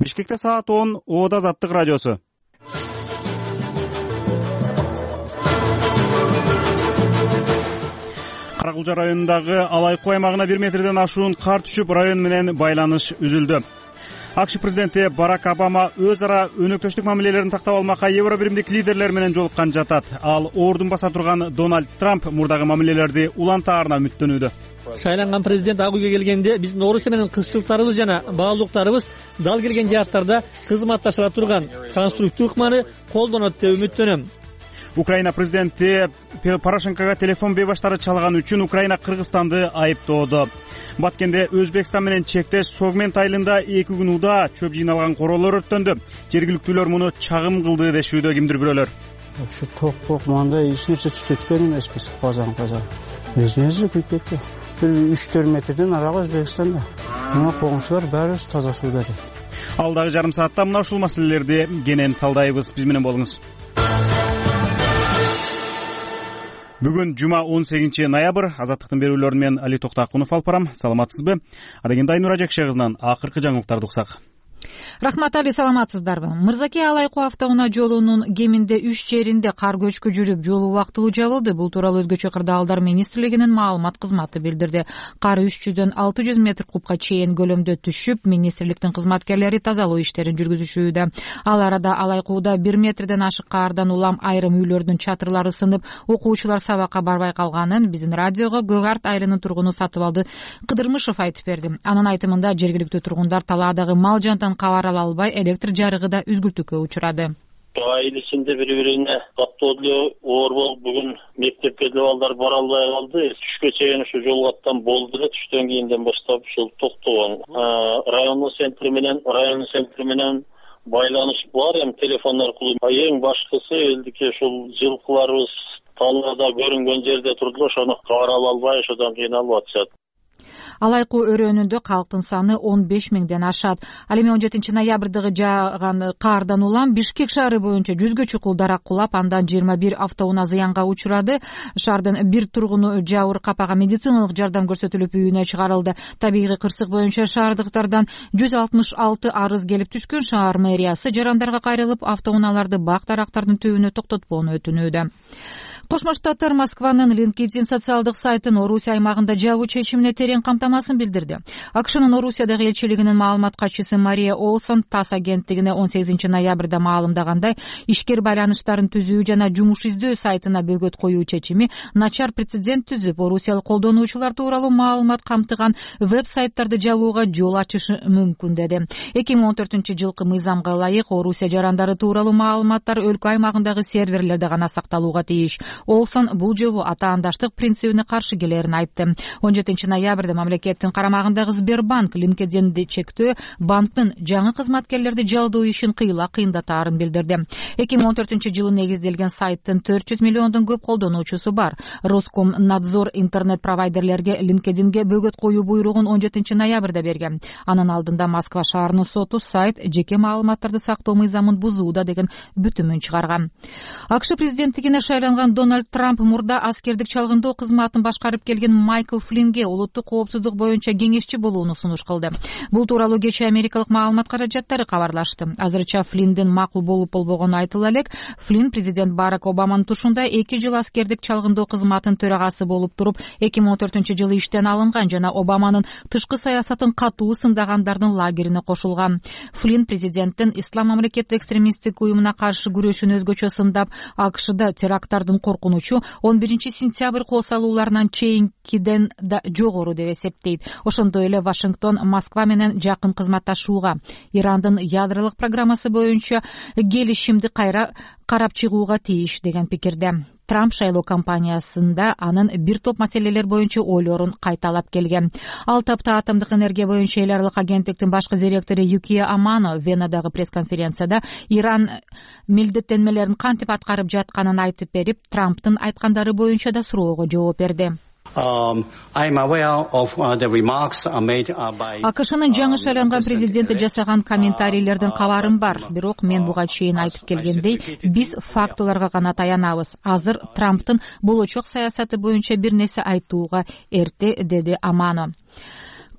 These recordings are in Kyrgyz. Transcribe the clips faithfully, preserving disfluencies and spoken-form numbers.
Бишкекте саат он, Ода Азаттык радиосу. Каракулча районундагы Алайкуу аймагына бир метрден ашуун кар түшүп, район менен байланыш үзүлдү. АКШ президенти Барак Обама өз ара өнөктөштүк мамилелерин тактап алмакка Евро биримдик лидерлер менен жолуккан жатат. Ал ордун баса турган Дональд Трамп мурдагы мамилелерди улантаарына үмүттөнүүдө. Шайланган президент ак үйгө келгенде биздин Орусия менен кызчылыктарыбыз жана баалуулуктарыбыз дал келген жааттарда кызматташыла турган конструктив ыкманы колдонот деп үмүттөнөм. Украина президенти Порошенкого телефон бейбаштары чалган үчүн Украина Кыргызстанды айыптоодо. Баткенде Өзбекстан менен чектеш Согмент айылында эки күн уда чөп жыйналган короолор өрттөндү. Жергиликтүүлөр муну чагым кылды дешүүдө кимдир бирөөлөр. Ошо ток-ток мындай эч нерсе түтөткөн эмеспиз, казан казан. Өзүнүзү күйүп кетти. Бир үч төрт метрден арага Өзбекстанда. Мына коңшулар баарыбыз таза сууда дейт. Алдагы жарым саатта мына ушул маселелерди кенен талдайбыз. Биз менен болуңуз. Бүгүн жума он сегизинчи ноябрь. Азаттыктын берүүлөрүн мен Али Токтакунов алып барам. Саламатсызбы? Адегенде Айнура Жакшы кызынан акыркы жаңылыктарды уксак. Рахмат Али, саламатсыздарбы? Мырзаке Алайкуу автоунаа жолунун кеминде үч жеринде кар көчкү жүрүп, жол убактылуу жабылды. Бул тууралуу Өзгөчө кырдаалдар министрлигинин маалымат кызматы билдирди. Кар үч жүздөн алты жүз метр кубка чейин көлөмдө түшүп, министрликтин кызматкерлери тазалоо иштерин жүргүзүшүүдө. Ал арада Алайкууда бир метрден ашык кардан улам айрым үйлөрдүн чатырлары сынып, окуучулар сабакка барбай калганын биздин радиого Гөгарт айылынын тургуну Сатыбалды Кыдырмышев айтып берди. Анын айтымында жергиликтүү тургундар талаадагы мал жантан кабар ала албай, электр жарыгы да үзгүлтүккө учурады. Айыл ичинде бири-бирине каттоо деле оор болуп, бүгүн мектепке деле балдар бара албай калды. Түшкө чейин ушу жол каттан болду эле, түштөн кийинден баштап ушул токтогон. Райондун центри менен, райондун центри менен байланыш бар, эми телефон аркылуу. Эң башкысы элдики ушул жылкыларыбыз талаада көрүнгөн жерде турду, ошону кабар ала албай, ошодон кыйналып атышат. Алайкуу өрөөнүндө калктын саны он беш миңден ашат. Ал эми он жетинчи ноябрдагы жааган кардан улам Бишкек шаары боюнча жүзгө чукул дарак кулап, андан жыйырма бир автоунаа зыянга учурады. Шаардын бир тургуну жабыр капага медициналык жардам көрсөтүлүп үйүнө чыгарылды. Табигый кырсык боюнча шаардыктардан жүз алтымыш алты арыз келип түшкөн. Шаар мэриясы жарандарга кайрылып, автоунааларды бак дарактардын түбүнө токтотпоону өтүнүүдө. Кошмо Штаттар Москванын LinkedIn социалдык сайтын Орусия аймагында жабуу чечимине терең камтамасын билдирди. АКШнын Орусиядагы элчилигинин маалымат катчысы Мария Олсон ТАСС агенттигине он сегизинчи ноябрда маалымдагандай, ишкер байланыштарын түзүү жана жумуш издөө сайтына бөгөт коюу чечими начар прецедент түзүп, орусиялык колдонуучулар тууралуу маалымат камтыган веб-сайттарды жабууга жол ачышы мүмкүн деди. эки миң он төртүнчү жылкы мыйзамга ылайык Орусия жарандары тууралуу маалыматтар өлкө аймагындагы серверлерде гана сакталууга тийиш. Олсон бул жобо атаандаштык принцибине каршы келерин айтты. он жетинчи ноябрда мамлекеттин карамагындагы Сбербанк LinkedIn'ди чектөө банктын жаңы кызматкерлерди жалдоо ишин кыйла кыйындатаарын билдирди. эки миң он төртүнчү жылы негизделген сайттын төрт жүз миллиондон көп колдонуучусу бар. Роскомнадзор интернет провайдерлерге LinkedIn'ге бөгөт коюу буйругун он жетинчи ноябрда берген. Анын алдында Москва шаарынын соту сайт жеке маалыматтарды сактоо мыйзамын бузууда деген бүтүмүн чыгарган. АКШ президенттигине шайланган Дональд Трамп мурда аскердик чалгындоо кызматын башкарып келген Майкл Флиннге улуттук коопсуздук боюнча кеңешчи болууну сунуш кылды. Бул тууралуу кечээ америкалык маалымат каражаттары кабарлашты. Азырынча Флинндин макул болуп болбогону айтыла элек. Флинн президент Барак Обаманын тушунда эки жыл аскердик чалгындоо кызматынын төрагасы болуп туруп, эки миң он төртүнчү жылы иштен алынган жана Обаманын тышкы саясатын катуу сындагандардын лагерине кошулган. Флинн президенттин ислам мамлекеттик экстремисттик уюмуна каршы күрөшүн өзгөчө сындап, АКШда теракттардын коркунучу он биринчи сентябрь кол салууларынан чейинкиден да жогору деп эсептейт. Ошондой эле Вашингтон Москва менен жакын кызматташууга, Ирандын ядролук программасы боюнча келишимди кайра карап чыгууга тийиш деген пикирде. Трамп шайлоо кампаниясында анын бир топ маселелер боюнча ойлорун кайталап келген. Ал тапта атомдук энергия боюнча эл аралык агенттиктин башкы директору Юкия Амано Венадагы пресс-конференцияда Иран милдеттенмелерин кантип аткарып жатканын айтып берип, Трамптын айткандары боюнча да суроого жооп берди. АКШнын жаңы шайланган президенти жасаган комментарийлердин кабарым бар, бирок мен буга чейин айтып келгендей, биз фактыларга гана таянабыз. Азыр Трамптын болочок саясаты боюнча бир нерсе айтууга эрте, деди Амано.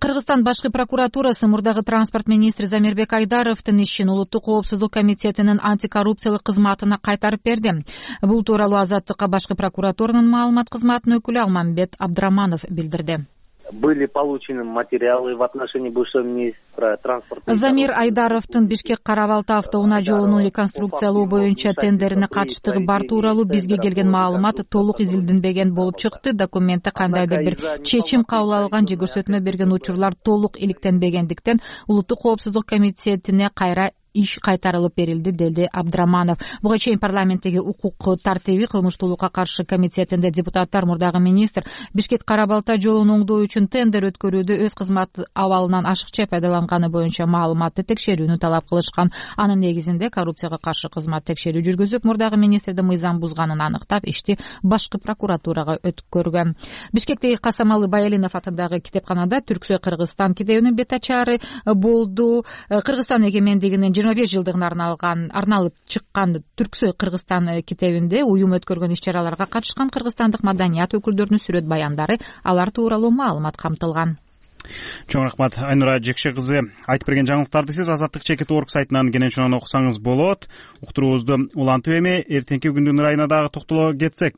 Кыргызстан башкы прокуратурасы мурдагы транспорт министри Замирбек Айдаровдун ишин Улуттук коопсуздук комитетинин антикоррупциялык кызматына кайтарып берди. Бул тууралуу Азаттыкка башкы прокуратуранын маалымат кызматынын өкүлү Алмамбет Абдраманов билдирди. Были получены материалы в отношении бывшего министра транспорта. Замир Айдаровдун Бишкек Кара-Балта автоунаа жолунун реконструкциялоо боюнча тендерине катыштыгы бар тууралуу бизге келген маалымат толук изилденбеген болуп чыкты. Документте кандайдыр бир чечим кабыл алган же көрсөтмө берген учурлар толук иликтенбегендиктен Улуттук коопсуздук комитетине кайра иш кайтарылып берилди, деди Абдраманов. Буга чейин парламенттеги укук тартиби кылмыштуулукка каршы комитетинде депутаттар мурдагы министр Бишкек Кара-Балта жолун оңдоо үчүн тендер өткөрүүдө өз кызмат абалынан ашыкча пайдаланганы боюнча маалыматты текшерүүнү талап кылышкан. Анын негизинде коррупцияга каршы кызмат текшерүү жүргүзүп, мурдагы министрдин мыйзам бузганын аныктап, ишти башкы прокуратурага өткөргөн. Бишкектеги Касамалы Баялинов атындагы китепканада Түрксой Кыргызстан китебинин бет ачары болду. Кыргызстан эгемендигинин жыйырма беш жылдыгына арналган арналып чыккан Түрксой Кыргызстан китебинде уюм өткөргөн иш-чараларга катышкан кыргызстандык маданият өкүлдөрүнүн сүрөт баяндары, алар тууралуу маалымат камтылган. Чоң рахмат, Айнура Жекше кызы. Айтып берген жаңылыктарды сиз Азаттык чекит орг сайтынан кенен чонон окусаңыз болот. Уктуруубузду улантып эми эртеңки күндүн ырайына дагы токтоло кетсек.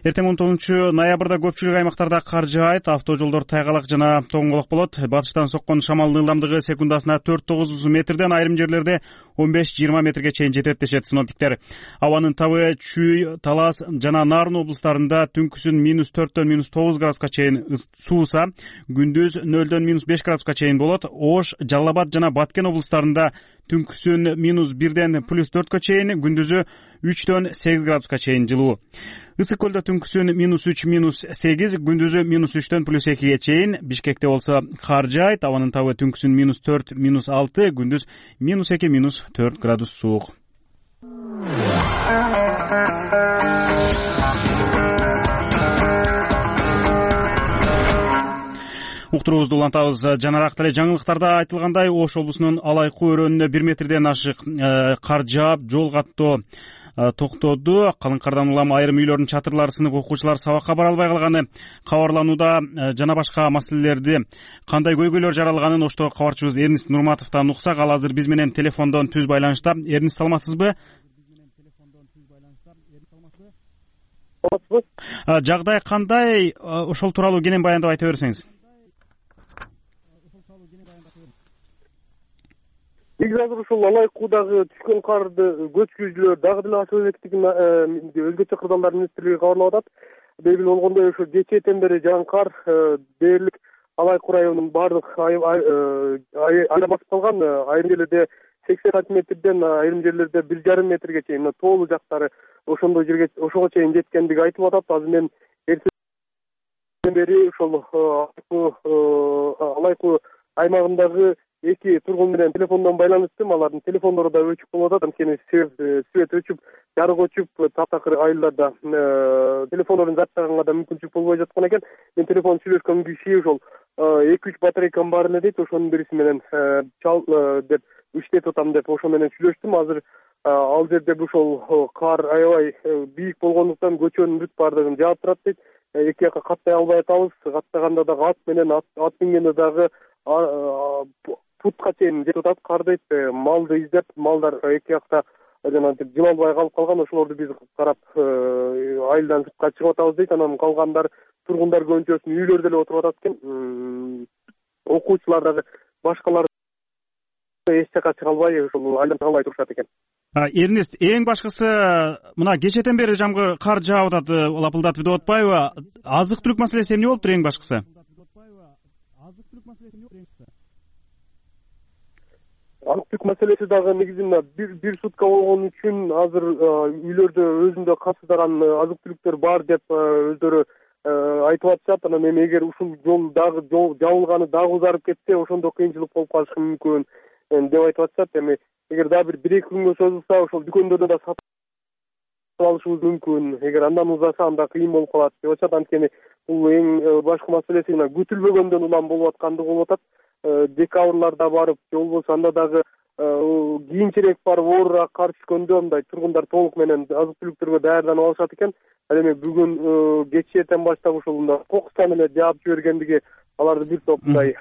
Эртең он тогузунчу ноябрда көпчүлүк аймактарда кар жаайт, автожолдор тайгалак жана тоңголок болот. Батыштан соккон шамалдын ылдамдыгы секундасына төрт тогуз метрден, айрым жерлерде он беш жыйырма метрге чейин жетет дешет синоптиктер. Абанын табы Чүй, Талас жана Нарын облустарында түнкүсүн минус төрттөн минус тогуз градуска чейин сууса, күндүз нөлдөн минус беш градуска чейин болот. Ош, Жалал Абад жана Баткен облустарында түнкүсүн минус бирден плюс төрткө чейин, күндүзү үчтөн сегиз градуска чейин жылуу. Ысык көлдө түнкүсүн минус үч минус сегиз, күндүзү минус үчтөн плюс экиге чейин. Бишкекте болсо кар жаайт, абанын табы түнкүсүн минус төрт минус алты, күндүз минус эки минус төрт градус суук. Уктуруубузду улантабыз. Жанараак деле жаңылыктарда айтылгандай, Ош облусунун Алайкуу өрөөнүнө бир метрден ашык кар жаап, жол каттоо токтоду. Калың кардан улам айрым үйлөрдүн чатырлары сынып, окуучулар сабакка бара албай калганы кабарланууда. Жана башка маселелерди, кандай көйгөйлөр жаралганын Оштогу кабарчыбыз Эрнист Нурматовдон уксак, ал азыр биз менен телефондон түз байланышта. Эрнист, саламатсызбы? Жагдай кандай? Ошол тууралуу кенен баяндап айта берсеңиз. Негизи азыр ушул Алайкуудагы түшкөн карды көчкүчүлөр дагы деле ашып электигин өзгөчө кырдаалдар министрлиги кабарлап атат. Белгилүү болгондой, ошо кечээден бери жааган кар дээрлик Алайкуу районунун баардык айла басып калган. Айрым жерлерде сексен сантиметрден, айрым жерлерде бир жарым метрге чейин, тоолуу жактары ошондой жерге ошого чейин жеткендиги айтылып атат. Азыр мен эртеден бери ошол Алайкуу аймагындагы эки тургун менен телефондон байланыштым. Алардын телефондору да өчүк болуп атат. Анткени свет өчүп, жарык өчүп, таптакыр айылдарда телефондорун жаттаганга да мүмкүнчүлүк болбой жаткан экен. Мен телефон сүйлөшкөн киши ошол эки үч батарейкам бар эле дейт. Ошонун бириси менен чал деп иштетип атам деп ошо менен сүйлөштүм. Азыр ал жерде ошол кар аябай бийик болгондуктан көчөнүн бүт баардыгын жаап турат дейт. Эки жакка каттай албай атабыз. Каттаганда дагы ат менен ат мингенде дагы путка чейин жетип атат кар дейт. Малды издеп, малдар эки жакта жанагы жылалбай калып калган. Ошолорду биз карап айылдан сыртка чыгып атабыз дейт. Анан калгандар тургундар көбүнчөсү үйлөрдө эле отуруп атат экен. Окуучулар дагы башкалар эч жака чыга албай, ошол айылдан чыга албай турушат экен. Эрнист, эң башкысы мына кечээден бери жамгы кар жаап атат, лапылдатып деп атпайбы? Азык-түлүк маселеси эмне болуптур эң башкысы? Азык-түлүк маселеси дагы негизинде бир бир сутка болгон үчүн азыр үйлөрдө өзүндө капсыздаган азык-түлүктөр бар деп өздөрү айтып атышат. Анан эми эгер ушул жол дагы жабылганы дагы узарып кетсе, ошондо кыйынчылык болуп калышы мүмкүн деп айтып атышат. Эми эгер дагы бир бир эки күнгө созулса, ошол дүкөндөрдө да сатып алышыбыз мүмкүн. Эгер андан узаса, анда кыйын болуп калат деп атышат. Анткени бул эң башкы маселеси мына күтүлбөгөндөн улам болуп аткандыгы болуп атат. Декабрларда барып, же болбосо анда дагы кийинчерээк барып оорураак кар түшкөндө мындай тургундар толук менен азык-түлүктөргө даярданып алышат экен. Ал эми бүгүн кечээден баштап ушул мында кокустан эле жаап жибергендиги аларды бир топ мындай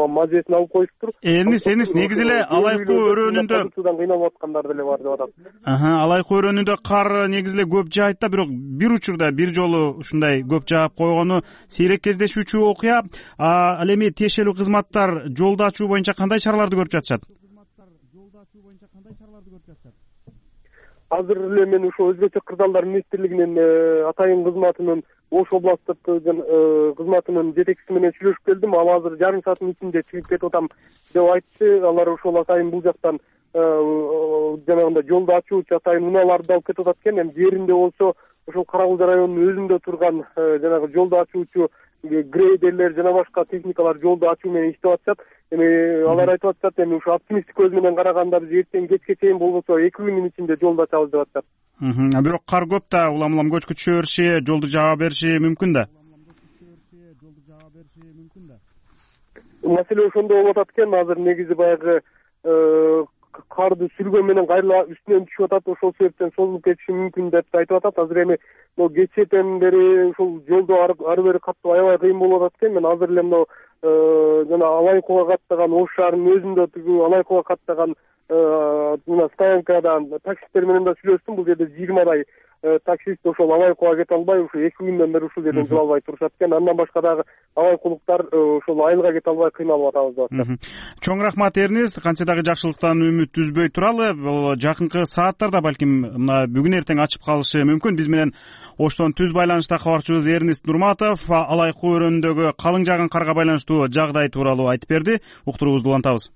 мажесин алып коюшуптур. Энис энис негизи эле Алайкуу өрөөнүндө кыйналып аткандар деле бар деп атат. Алайкуу өрөөнүндө кар негизи эле көп жаайт да, бирок бир учурда бир жолу ушундай көп жаап койгону сейрек кездешүүчү окуя. Ал эми тиешелүү кызматтар жолду ачуу боюнча кандай чараларды көрүп жатышат? Азыр эле мен ошо өзгөчө кырдаалдар министрлигинин атайын кызматынын Ош областтык кызматынын жетекчиси менен сүйлөшүп келдим. Ал азыр жарым сааттын ичинде чыгып кетип атам деп айтты. Алар ошол атайын бул жактан жанагындай жолду ачуучу атайын унааларды алып кетип атат экен. Эми жеринде болсо ошол Кара-Кулжа районунун өзүндө турган жанагы жолду ачуучу грейдерлер жана башка техникалар жолду ачуу менен иштеп атышат. Эми алар айтып атышат, эми ушу оптимисттик көз менен караганда биз эртең кечке чейин болбосо эки күндүн ичинде жолду ачабыз деп атышат. Бирок кар көп да, улам улам көчкү түшө бериши, жолду жаба бериши мүмкүн да. Маселе ошондо болуп атат экен. Азыр негизи баягы карды сүргөн менен кайра үстүнөн түшүп атат. Ошол себептен созулуп кетиши мүмкүн деп айтып атат. Азыр эми могу кечээден бери ушул жолду ары бери каттоо аябай кыйын болуп атат экен. Мен азыр эле мына жана Алайкууга каттаган Ош шаарынын өзүндө тигүү Алайкууга каттаган мына стоянкадан таксисттер менен да сүйлөштүм. Бул жерде жыйырмадай таксист ошол Алайкууга кете албай, ушу эки күндөн бери ушул жерден жол албай турушат экен. Андан башка дагы алайкуулуктар ошол айылга кете албай кыйналып атабыз деп атат. Чоң рахмат Эрнис, кантсе дагы жакшылыктан үмүт үзбөй туралы. Бул жакынкы сааттарда балким мына бүгүн эртең ачып калышы мүмкүн. Биз менен Оштон түз байланышта кабарчыбыз Эрнис Нурматов Алайкуу өрөөнүндөгү калың жааган карга байланыштуу жагдай тууралуу айтып берди. Уктуруубузду улантабыз.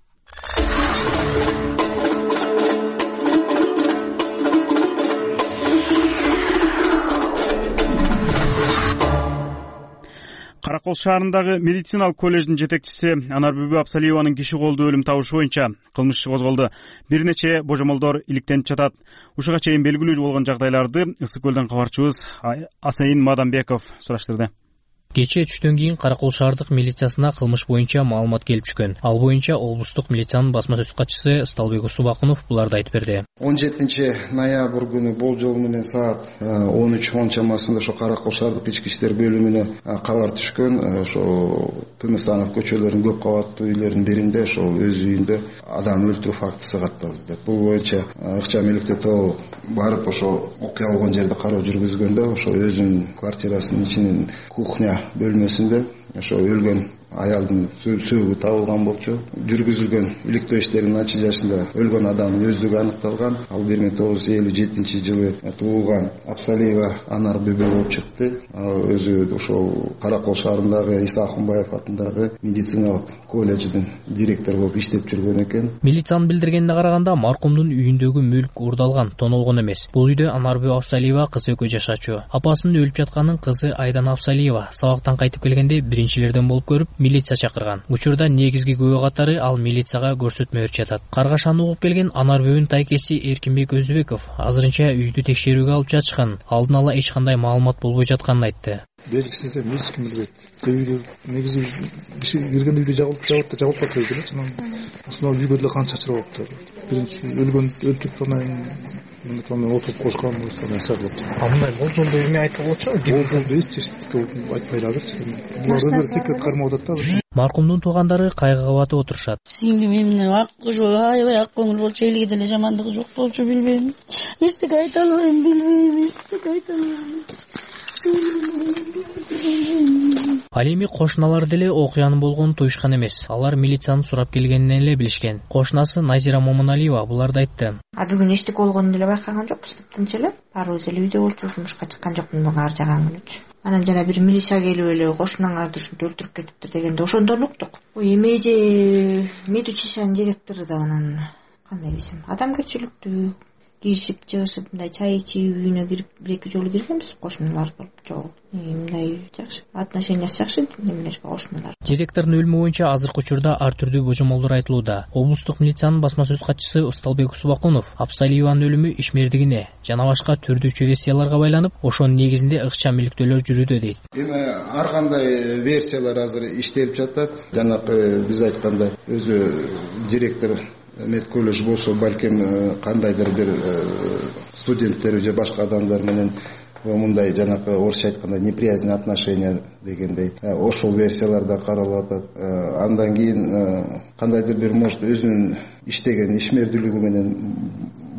Каракол шаарындагы медициналык колледждин жетекчиси Анарбүбү Абсалиеванын киши колдуу өлүм табышы боюнча кылмыш иши козголду. Бир нече божомолдор иликтенип жатат. Ушуга чейин белгилүү болгон жагдайларды Ысык көлдөн кабарчыбыз Асайын Мадамбеков сураштырды. Кечээ түштөн кийин Каракол шаардык милициясына кылмыш боюнча маалымат келип түшкөн. Ал боюнча облустук милициянын басма сөз катчысы Сталбек Усубакунов буларды айтып берди. он жетинчи ноябрь күнү болжол менен саат он үч он чамасында ошо Каракол шаардык ички иштер бөлүмүнө кабар түшкөн. Ошо Тыныстанов көчөлөрүнүн көп кабаттуу үйлөрүнүн биринде ошол өз үйүндө адам өлтүрүү фактысы катталды деп. Бул боюнча ыкчам иликтөө тобу барып ошо окуя болгон жерде кароо жүргүзгөндө ошо өзүнүн квартирасынын ичинин кухня бөлмөсүндө ошо өлгөн аялдын сөөгү табылган болчу. Жүргүзүлгөн иликтөө иштеринин натыйжасында өлгөн адамдын өздүгү аныкталган. Ал бир миң тогуз жүз элүү жетинчи жылы туулган Абсалиева Анарбүбү болуп чыкты. Ал өзү ошол Каракол шаарындагы Иса Акунбаев атындагы медициналык колледждин директору болуп иштеп жүргөн экен. Милициянын билдиргенине караганда маркумдун үйүндөгү мүлк уурдалган, тонолгон эмес. Бул үйдө Анарбүбү Абсалиева кызы экөө жашачу. Апасынын өлүп жатканын кызы Айдана Абсалиева сабактан кайтып келгенде биринчилерден болуп көрүп милиция чакырган. Учурда негизги күбө катары ал милицияга көрсөтмө берип жатат. Каргашаны угуп келген Анарбүбүнүн тайкеси Эркинбек Өзбеков азырынча үйдү текшерүүгө алып жатышкан, алдын ала эч кандай маалымат болбой жатканын айтты. Белгисиз эми эч ким билбейт. Үйдү негизи киши кирген үйдү жабылып жабылып да жабылып калса эле, анан үйгө деле кан чачырып алыптыр. Биринчи өлгөн өлтүрүп анан мына отуруп кошкан нерсе болот. А мындай болжолдо эме айтып болчу? Болжолдо эч эчтеке айтпайлы азырчы. Булар өздөрү секрет кармап атат да. Маркумдун туугандары кайгыга батып отурушат. Сиңдим эмне ак кожо аябай ак көңүл болчу, элге деле жамандыгы жок болчу, билбейм. Эчтеке айта албайм, билбейм, эчтеке айта албайм. Ал эми кошуналар деле окуянын болгонун туюшкан эмес. Алар милицияны сурап келгенин эле билишкен. Кошунасы Назира Момуналиева буларды айтты. А бүгүн эчтеке болгонун деле байкаган жокпуз, тынч эле. Баарыбыз эле үйдө болчубуз, жумушка чыккан жокмун ар жаган күнүчү. Анан жана бир милиция келип эле кошунаңарды ушинтип өлтүрүп кетиптир дегенде ошондон уктук. Ой, эме же медучилищенин директору да анан кандай десем, адамгерчиликтүү, киришип чыгышып мындай чай ичип үйүнө кирип бир эки жолу киргенбиз, кошуналар болуп жок. Мындай жакшы, отношениясы жакшы немелер кошуналар. Директордун өлүмү боюнча азыркы учурда ар түрдүү божомолдор айтылууда. Облустук милициянын басма сөз катчысы Сталбек Усубакунов Абсалиеванын өлүмү ишмердигине жана башка түрдүүчү версияларга байланып, ошонун негизинде ыкчам иликтөөлөр жүрүүдө дейт. Эми ар кандай версиялар азыр иштелип жатат. Жанакы биз айткандай өзү директор медколледж болсо балким кандайдыр бир студенттер же башка адамдар менен мындай жанакы орусча айтканда неприязненные отношения дегендей ошол версиялар да каралып атат. Андан кийин кандайдыр бир может өзүнүн иштеген ишмердүүлүгү менен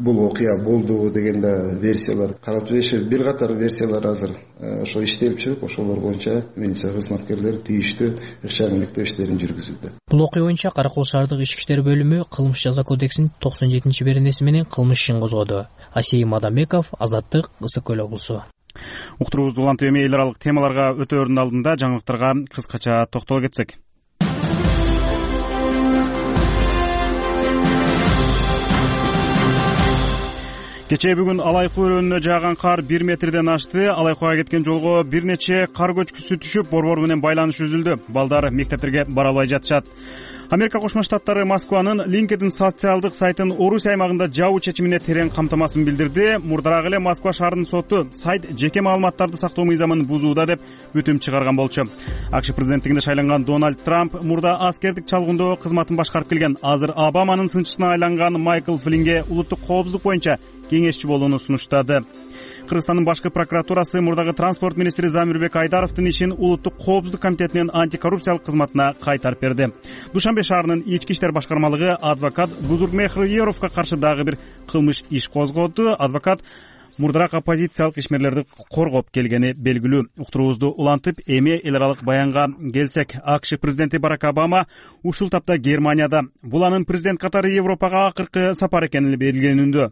бул окуя болду деген да версиялар карап жүрүшөт. Бир катар версиялар азыр ошо иштелип жүрөт. Ошолор боюнча милиция кызматкерлери тийиштүү ыкчам иликтөө иштерин жүргүзүүдө. Бул окуя боюнча Каракол шаардык ички иштер бөлүмү кылмыш жаза кодексинин токсон жетинчи беренеси менен кылмыш ишин козгоду. Асейим Мадамбеков, Азаттык, Ысык көл облусу. Уктуруубузду улантып эми эл аралык темаларга өтөөрдүн алдында жаңылыктарга кыскача токтоло кетсек. Кечээ бүгүн Алайкы өрөөнүнө жааган кар бир метрден ашты. Алайкыга кеткен жолго бир нече кар көчкүсү түшүп, борбор менен байланыш үзүлдү. Балдар мектептерге бара албай жатышат. Америка Кошмо Штаттары Москванын LinkedIn социалдык сайтын Орусия аймагында жабуу чечимине терең камтамасын билдирди. Мурдараак эле Москва шаарынын соту сайт жеке маалыматтарды сактоо мыйзамын бузууда деп бүтүм чыгарган болчу. АКШ президенттигине шайланган Дональд Трамп мурда аскердик чалгындоо кызматын башкарып келген, азыр Обаманын сынчысына айланган Майкл Флинге улуттук коопсуздук боюнча кеңешчи болууну сунуштады. Кыргызстандын башкы прокуратурасы мурдагы транспорт министри Замирбек Айдаровдун ишин улуттук коопсуздук комитетинин антикоррупциялык кызматына кайтарып берди. Душанбе шаарынын ички иштер башкармалыгы адвокат Бузургмехриеровго каршы дагы бир кылмыш иш козгоду. Адвокат мурдараак оппозициялык ишмерлерди коргоп келгени белгилүү. Уктуруубузду улантып эми эл аралык баянга келсек, АКШ президенти Барак Обама ушул тапта Германияда. Бул анын президент катары Европага акыркы сапары экени белгиленүүдө.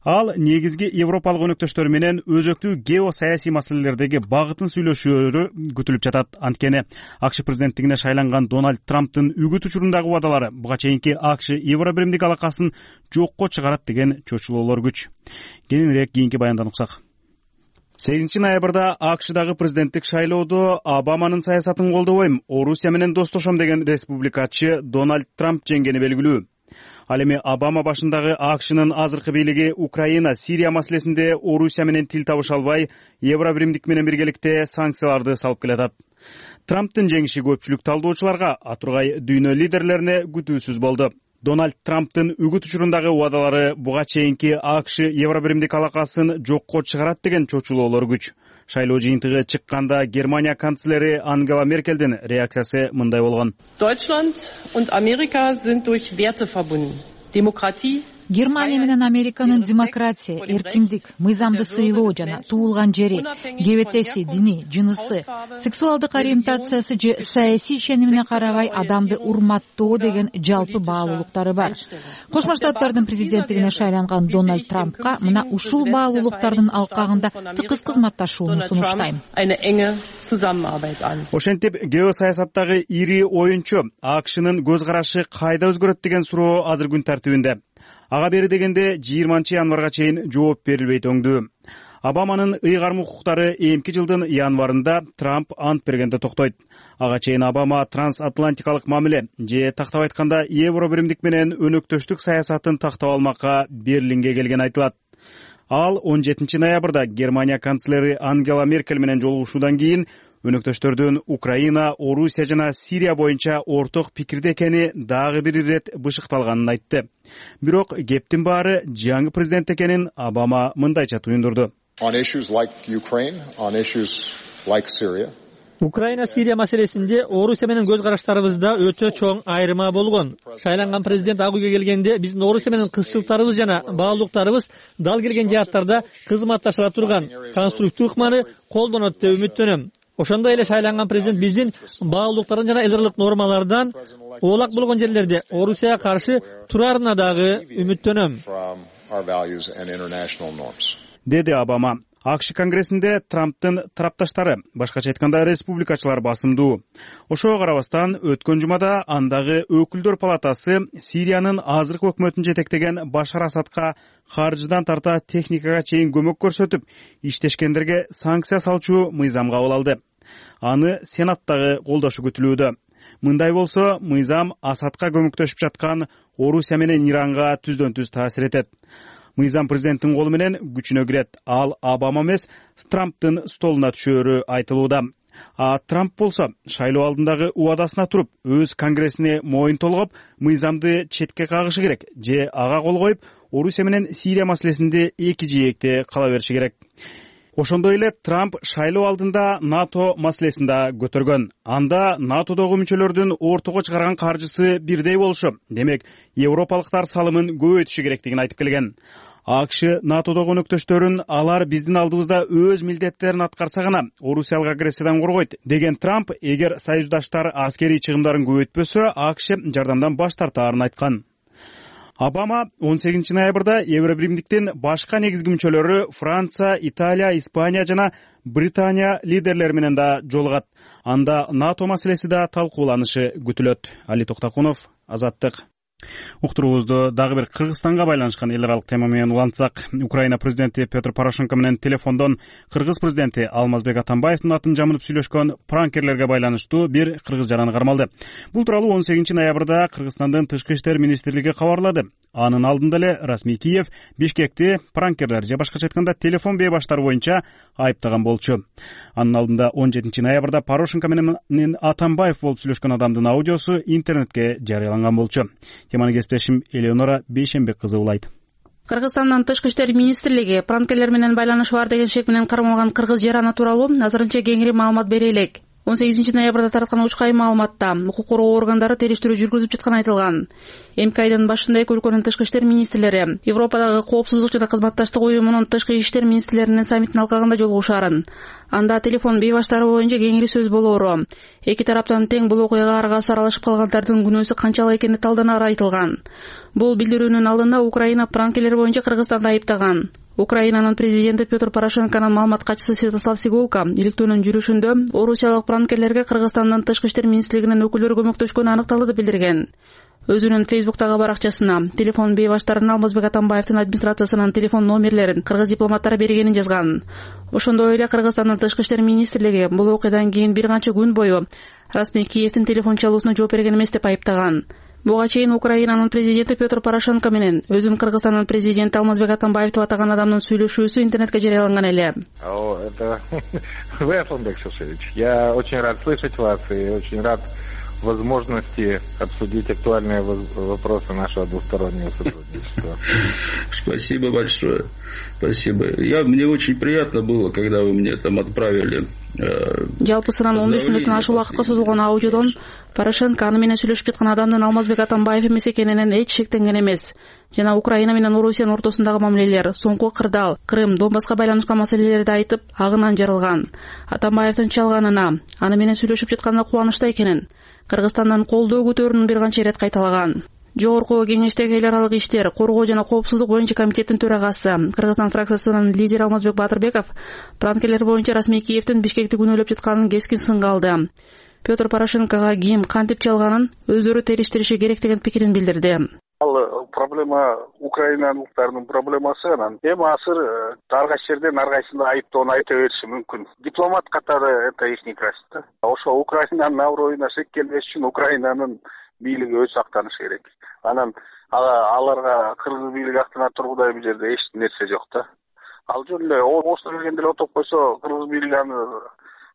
Ал негизги европалык өнөктөштөрү менен өзөктүү геосаясий маселелердеги багытын сүйлөшөөрү күтүлүп жатат. Анткени АКШ президенттигине шайланган Дональд Трамптын үгүт учурундагы убадалары буга чейинки АКШ евро биримдик алакасын жокко чыгарат деген чочулоолор күч. Кененирээк кийинки баяндан уксак. сегизинчи ноябрда АКШдагы президенттик шайлоодо Обаманын саясатын колдобойм, Орусия менен достошом деген республикачы Дональд Трамп жеңгени белгилүү. Ал эми Обама башындагы АКШнын азыркы бийлиги Украина, Сирия маселесинде Орусия менен тил табыша албай, евро биримдик менен биргеликте санкцияларды салып келатат. Трамптын жеңиши көпчүлүк талдоочуларга, атургай дүйнө лидерлерине күтүүсүз болду. Дональд Трамптын үгүт учурундагы убадалары буга чейинки АКШ евро биримдик алакасын жокко чыгарат деген чочулоолор күч. Шайлоо жыйынтыгы чыкканда Германия канцлери Ангела Меркелдин реакциясы мындай болгон. Deutschland und Amerika sind durch Werte verbunden. Demokratie. Германия менен Американын демократия, эркиндик, мыйзамды сыйлоо жана туулган жери, кебетеси, дини, жынысы, сексуалдык ориентациясы же саясий ишенимине карабай адамды урматтоо деген жалпы баалуулуктары бар. Кошмо Штаттардын президенттигине шайланган Дональд Трампка мына ушул баалуулуктардын алкагында тыкыз кызматташууну сунуштайм. Ошентип, геосаясаттагы ири оюнчу АКШнын көз карашы кайда өзгөрөт деген суроо азыр күн тартибинде. Ага бери дегенде жыйырманчы январга чейин жооп берилбейт өңдүү. Обаманын ыйгарым укуктары эмки жылдын январында Трамп ант бергенде токтойт. Ага чейин Обама трансатлантикалык мамиле же тактап айтканда евро биримдик менен өнөктөштүк саясатын тактап алмакка Берлинге келген айтылат. Ал он жетинчи ноябрда Германия канцлери Ангела Меркель менен жолугушуудан кийин өнөктөштөрдүн Украина, Орусия жана Сирия боюнча орток пикирде экени дагы бир ирет бышыкталганын айтты. Бирок кептин баары жаңы президент экенин Обама мындайча туюндурду. On issues like Ukraine, on issues like Syria. Украина, Сирия маселесинде Орусия менен көз караштарыбызда өтө чоң айырма болгон. Шайланган президент ак үйгө келгенде биздин Орусия менен кызчылыктарыбыз жана баалуулуктарыбыз дал келген жааттарда кызматташыла турган конструктив ыкманы колдонот деп үмүттөнөм. Ошондой эле шайланган президент биздин баалуулуктардан жана эл аралык нормалардан оолак болгон жерлерде Орусияга каршы турарына дагы үмүттөнөм, деди Обама. АКШ конгрессинде Трамптын тарапташтары, башкача айтканда республикачылар басымдуу. Ошого карабастан өткөн жумада андагы өкүлдөр палатасы Сириянын азыркы өкмөтүн жетектеген Башар Асадка каржыдан тарта техникага чейин көмөк көрсөтүп, иштешкендерге санкция салчу мыйзам кабыл алды. Аны Сенаттагы колдошу күтүлүүдө. Мындай болсо, мыйзам Асадка көмөктөшүп жаткан Орусия менен Иранга түздөн түз таасир этет. Мыйзам президенттин колу менен күчүнө кирет. Ал Обама эмес, Трамптын столуна түшөөрү айтылууда. А Трамп болсо шайлоо алдындагы убадасына туруп, өз конгрессине моюн толгоп, мыйзамды четке кагышы керек же ага кол коюп, Орусия менен Сирия маселесинде эки жээкте кала бериши керек. Ошондой эле Трамп шайлоо алдында НАТО маселесин да көтөргөн. Анда НАТОдогу мүчөлөрдүн ортого чыгарган каржысы бирдей болушу, демек европалыктар салымын көбөйтүшү керектигин айтып келген. АКШ НАТОдогу өнөктөштөрүн алар биздин алдыбызда өз милдеттерин аткарса гана Орусиялык агрессиядан коргойт деген Трамп, эгер союздаштар аскерий чыгымдарын көбөйтпөсө, АКШ жардамдан баш тартаарын айткан. Обама он сегизинчи ноябрда Евробиримдиктин башка негизги мүчөлөрү Франция, Италия, Испания жана Британия лидерлери менен да жолугат. Анда НАТО маселеси да талкууланышы күтүлөт. Али Токтокунов, Азаттык. Уктуруубузду дагы бир Кыргызстанга байланышкан эл аралык тема менен улантсак, Украина президенти Петр Порошенко менен телефондон Кыргыз президенти Алмазбек Атамбаевдин атын жамынып сүйлөшкөн пранкерлерге байланыштуу бир кыргыз жараны кармалды. Бул тууралуу он сегизинчи ноябрда Кыргызстандын Тышкы иштер министрлиги кабарлады. Анын алдында эле расмий Киев Бишкекти пранкерлер же башкача айтканда телефон бээ баштары боюнча айыптаган болчу. Анын алдында он жетинчи ноябрда Порошенко менен Атамбаев болуп сүйлөшкөн адамдын аудиосу интернетке жарыяланган болчу. Теманы кесиптешим Элеонора Бейшенбек кызы улайт. Кыргызстандын Тышкы иштер министрлиги пранкерлер менен байланышы бар деген шек менен кармалган кыргыз жараны тууралуу азырынча кеңири маалымат бере элек. он сегизинчи ноябрда тараткан учкай маалыматта укук коргоо органдары териштирүү жүргүзүп жатканы айтылган. Эмки айдын башында эки өлкөнүн тышкы иштер министрлери Европадагы коопсуздук жана кызматташтык уюмунун тышкы иштер министрлеринин саммитинин алкагында жолугушаарын. Анда телефон бээ баштары боюнча кеңири сөз болоору, эки тараптан тең бул окуяга аргасы аралашып калгандардын күнөөсү канчалык экени талданары айтылган. Бул билдирүүнүн алдында Украина пранкерлер боюнча Кыргызстанды айыптаган. Украинанын президенти Петр Порошенконун маалымат катчысы Святослав Сигулко иликтөөнүн жүрүшүндө орусиялык пранкерлерге Кыргызстандын Тышкы иштер министрлигинин өкүлдөрү көмөктөшкөнү аныкталды деп билдирген. Өзүнүн Фейсбуктагы баракчасына телефон бээ баштарынын Алмазбек Атамбаевдин администрациясынын телефон номерлерин кыргыз дипломаттары бергенин жазган. Ошондой эле Кыргызстандын Тышкы иштер министрлиги бул окуядан кийин бир канча күн бою расмий Киевдин телефон чалуусуна жооп берген эмес деп айыптаган. Буга чейин Украинанын президенти Петр Порошенко менен өзүн Кыргызстандын президенти Алмазбек Атамбаев деп атаган адамдын сүйлөшүүсү интернетке жарыяланган эле. О, это вы, Асланбек Шушевич. Я очень рад слышать вас и очень рад возможности обсудить актуальные вопросы нашего двустороннего сотрудничества. Спасибо большое. Спасибо. Я, мне очень приятно было, когда вы мне там отправили. Жалпысынан он беш мүнөттөн ашык убакытка созулган аудиодон Порошенко аны менен сүйлөшүп жаткан адамдын Алмазбек Атамбаев эмес экенинен эч шектенген эмес жана Украина менен Орусиянын ортосундагы мамилелер, соңку Кырдаал, Крым, Донбасска байланышкан маселелерди айтып, агынан жарылган. Атамбаевдин чалганына, аны менен сүйлөшүп жатканына кубанычта экенин, Кыргызстандан колдоо көтөрүүнүн бир канча ирет кайталаган. Жогорку кеңештеги эл аралык иштер, коргоо жана коопсуздук боюнча комитеттин төрагасы, Кыргызстан фракциясынын лидери Алмазбек Батырбеков пранкерлер боюнча расмий Киевдин Бишкекти күнөөлөп жатканын кескин сынга алды. Петр Порошенкога ким кантип чалганын өздөрү териштириши керек деген пикирин билдирди. Ал проблема украиналыктардын проблемасы, анан эми азыр ар кайсы жерден ар кайсына айыптоону айта бериши мүмкүн. Дипломат катары это ихний качество. Ошо Украинанын аброюна шек келбеш үчүн Украинанын бийлиги өз сактанышы керек. Анан аларга кыргыз бийлиги актана тургудай бул жерде эч нерсе жок да. Ал жөн эле ошто келгенде отуруп койсо кыргыз бийлиги аны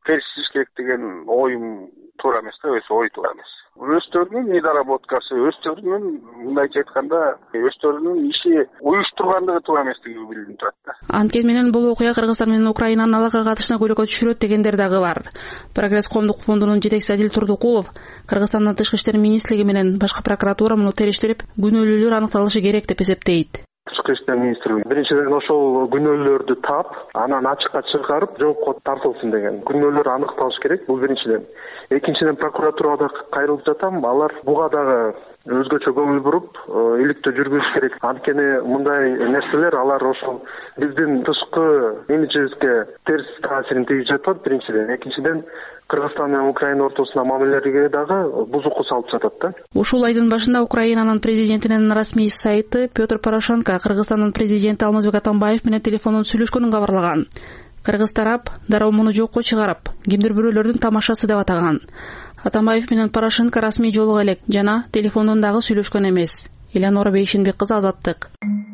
териштириш керек деген оюм туура эмес да, өз ой туура эмес. Өздөрүнүн недоработкасы, өздөрүнүн мындайча айтканда, өздөрүнүн иши уюштургандыгы туура эместиги билинип турат да. Анткени менен бул окуя Кыргызстан менен Украинанын алака катышына көйрөккө түшүрөт дегендер дагы бар. Прогресс коомдук фондунун жетекчиси Адил Турдукулов Кыргызстандын Тышкы иштер министрлиги менен башкы прокуратура муну териштирип, күнөөлүүлөр аныкталышы керек деп эсептейт. Тышкы иштер министрлиги биринчиден ошол күнөөлөрдү таап, анан ачыкка чыгарып, жоопко тартылсын деген. Күнөөлөр аныкталыш керек, бул биринчиден. Экинчиден прокуратурага кайрылып жатам, алар буга дагы өзгөчө көңүл буруп, иликтөө жүргүзүш керек. Анткени мындай нерселер алар ошол биздин тышкы имиджибизге терс таасирин тийгизип жатат, биринчиден. Экинчиден Кыргызстан менен Украина ортосуна мамилелерге дагы бузуку салып жатат да. Ушул айдын башында Украинанын президентинин расмий сайты Петр Порошенко Кыргызстандын президенти Алмазбек Атамбаев менен телефондон сүйлөшкөнүн кабарлаган. Кыргыз тарап дароо муну жокко чыгарып, кимдир бирөөлөрдүн тамашасы деп атаган. Атамбаев менен Порошенко расмий жолуга элек жана телефондон дагы сүйлөшкөн эмес. Элеонора Бейшенбек кызы, Азаттык.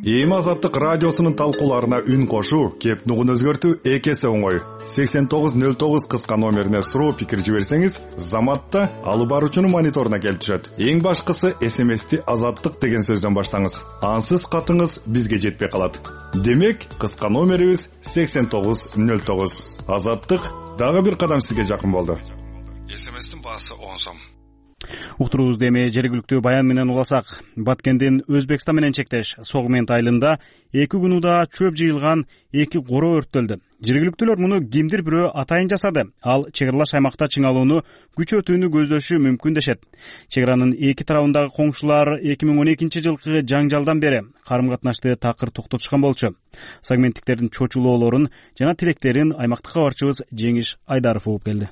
Эми Азаттык радиосунун талкууларына үн кошуу, кеп нугун өзгөртүү эки эсе оңой. сексен тогуз нөл тогуз кыска номерине суроо пикир жиберсеңиз, Заматта алып баруучунун мониторуна келип түшөт. Эң башкысы эс эм эсти Азаттык деген сөздөн баштаңыз. Ансыз катыңыз бизге жетпей калат. Демек, кыска номерибиз сексен тогуз нөл тогуз. Азаттык дагы бир кадам сизге жакын болду. эс эм эстин баасы он сом. Уктуруубузду эми жергиликтүү баян менен уласак. Баткендин Өзбекстан менен чектеш Согмент айылында эки күн учурда чөп жыйылган эки коро өрттөлдү. Жергиликтүүлөр муну кимдир бирөө атайын жасады. Ал чек аралаш аймакта чыңалууну күчөтүүнү көздөшү мүмкүн дешет. Чек аранын эки тарабындагы коңшулар эки миң он экинчи жылкы жаңжалдан бери карым катнашты такыр токтотушкан болчу. Согменттиктердин чочулоолорун жана тилектерин аймактык кабарчыбыз Жеңиш Айдаров угуп келди.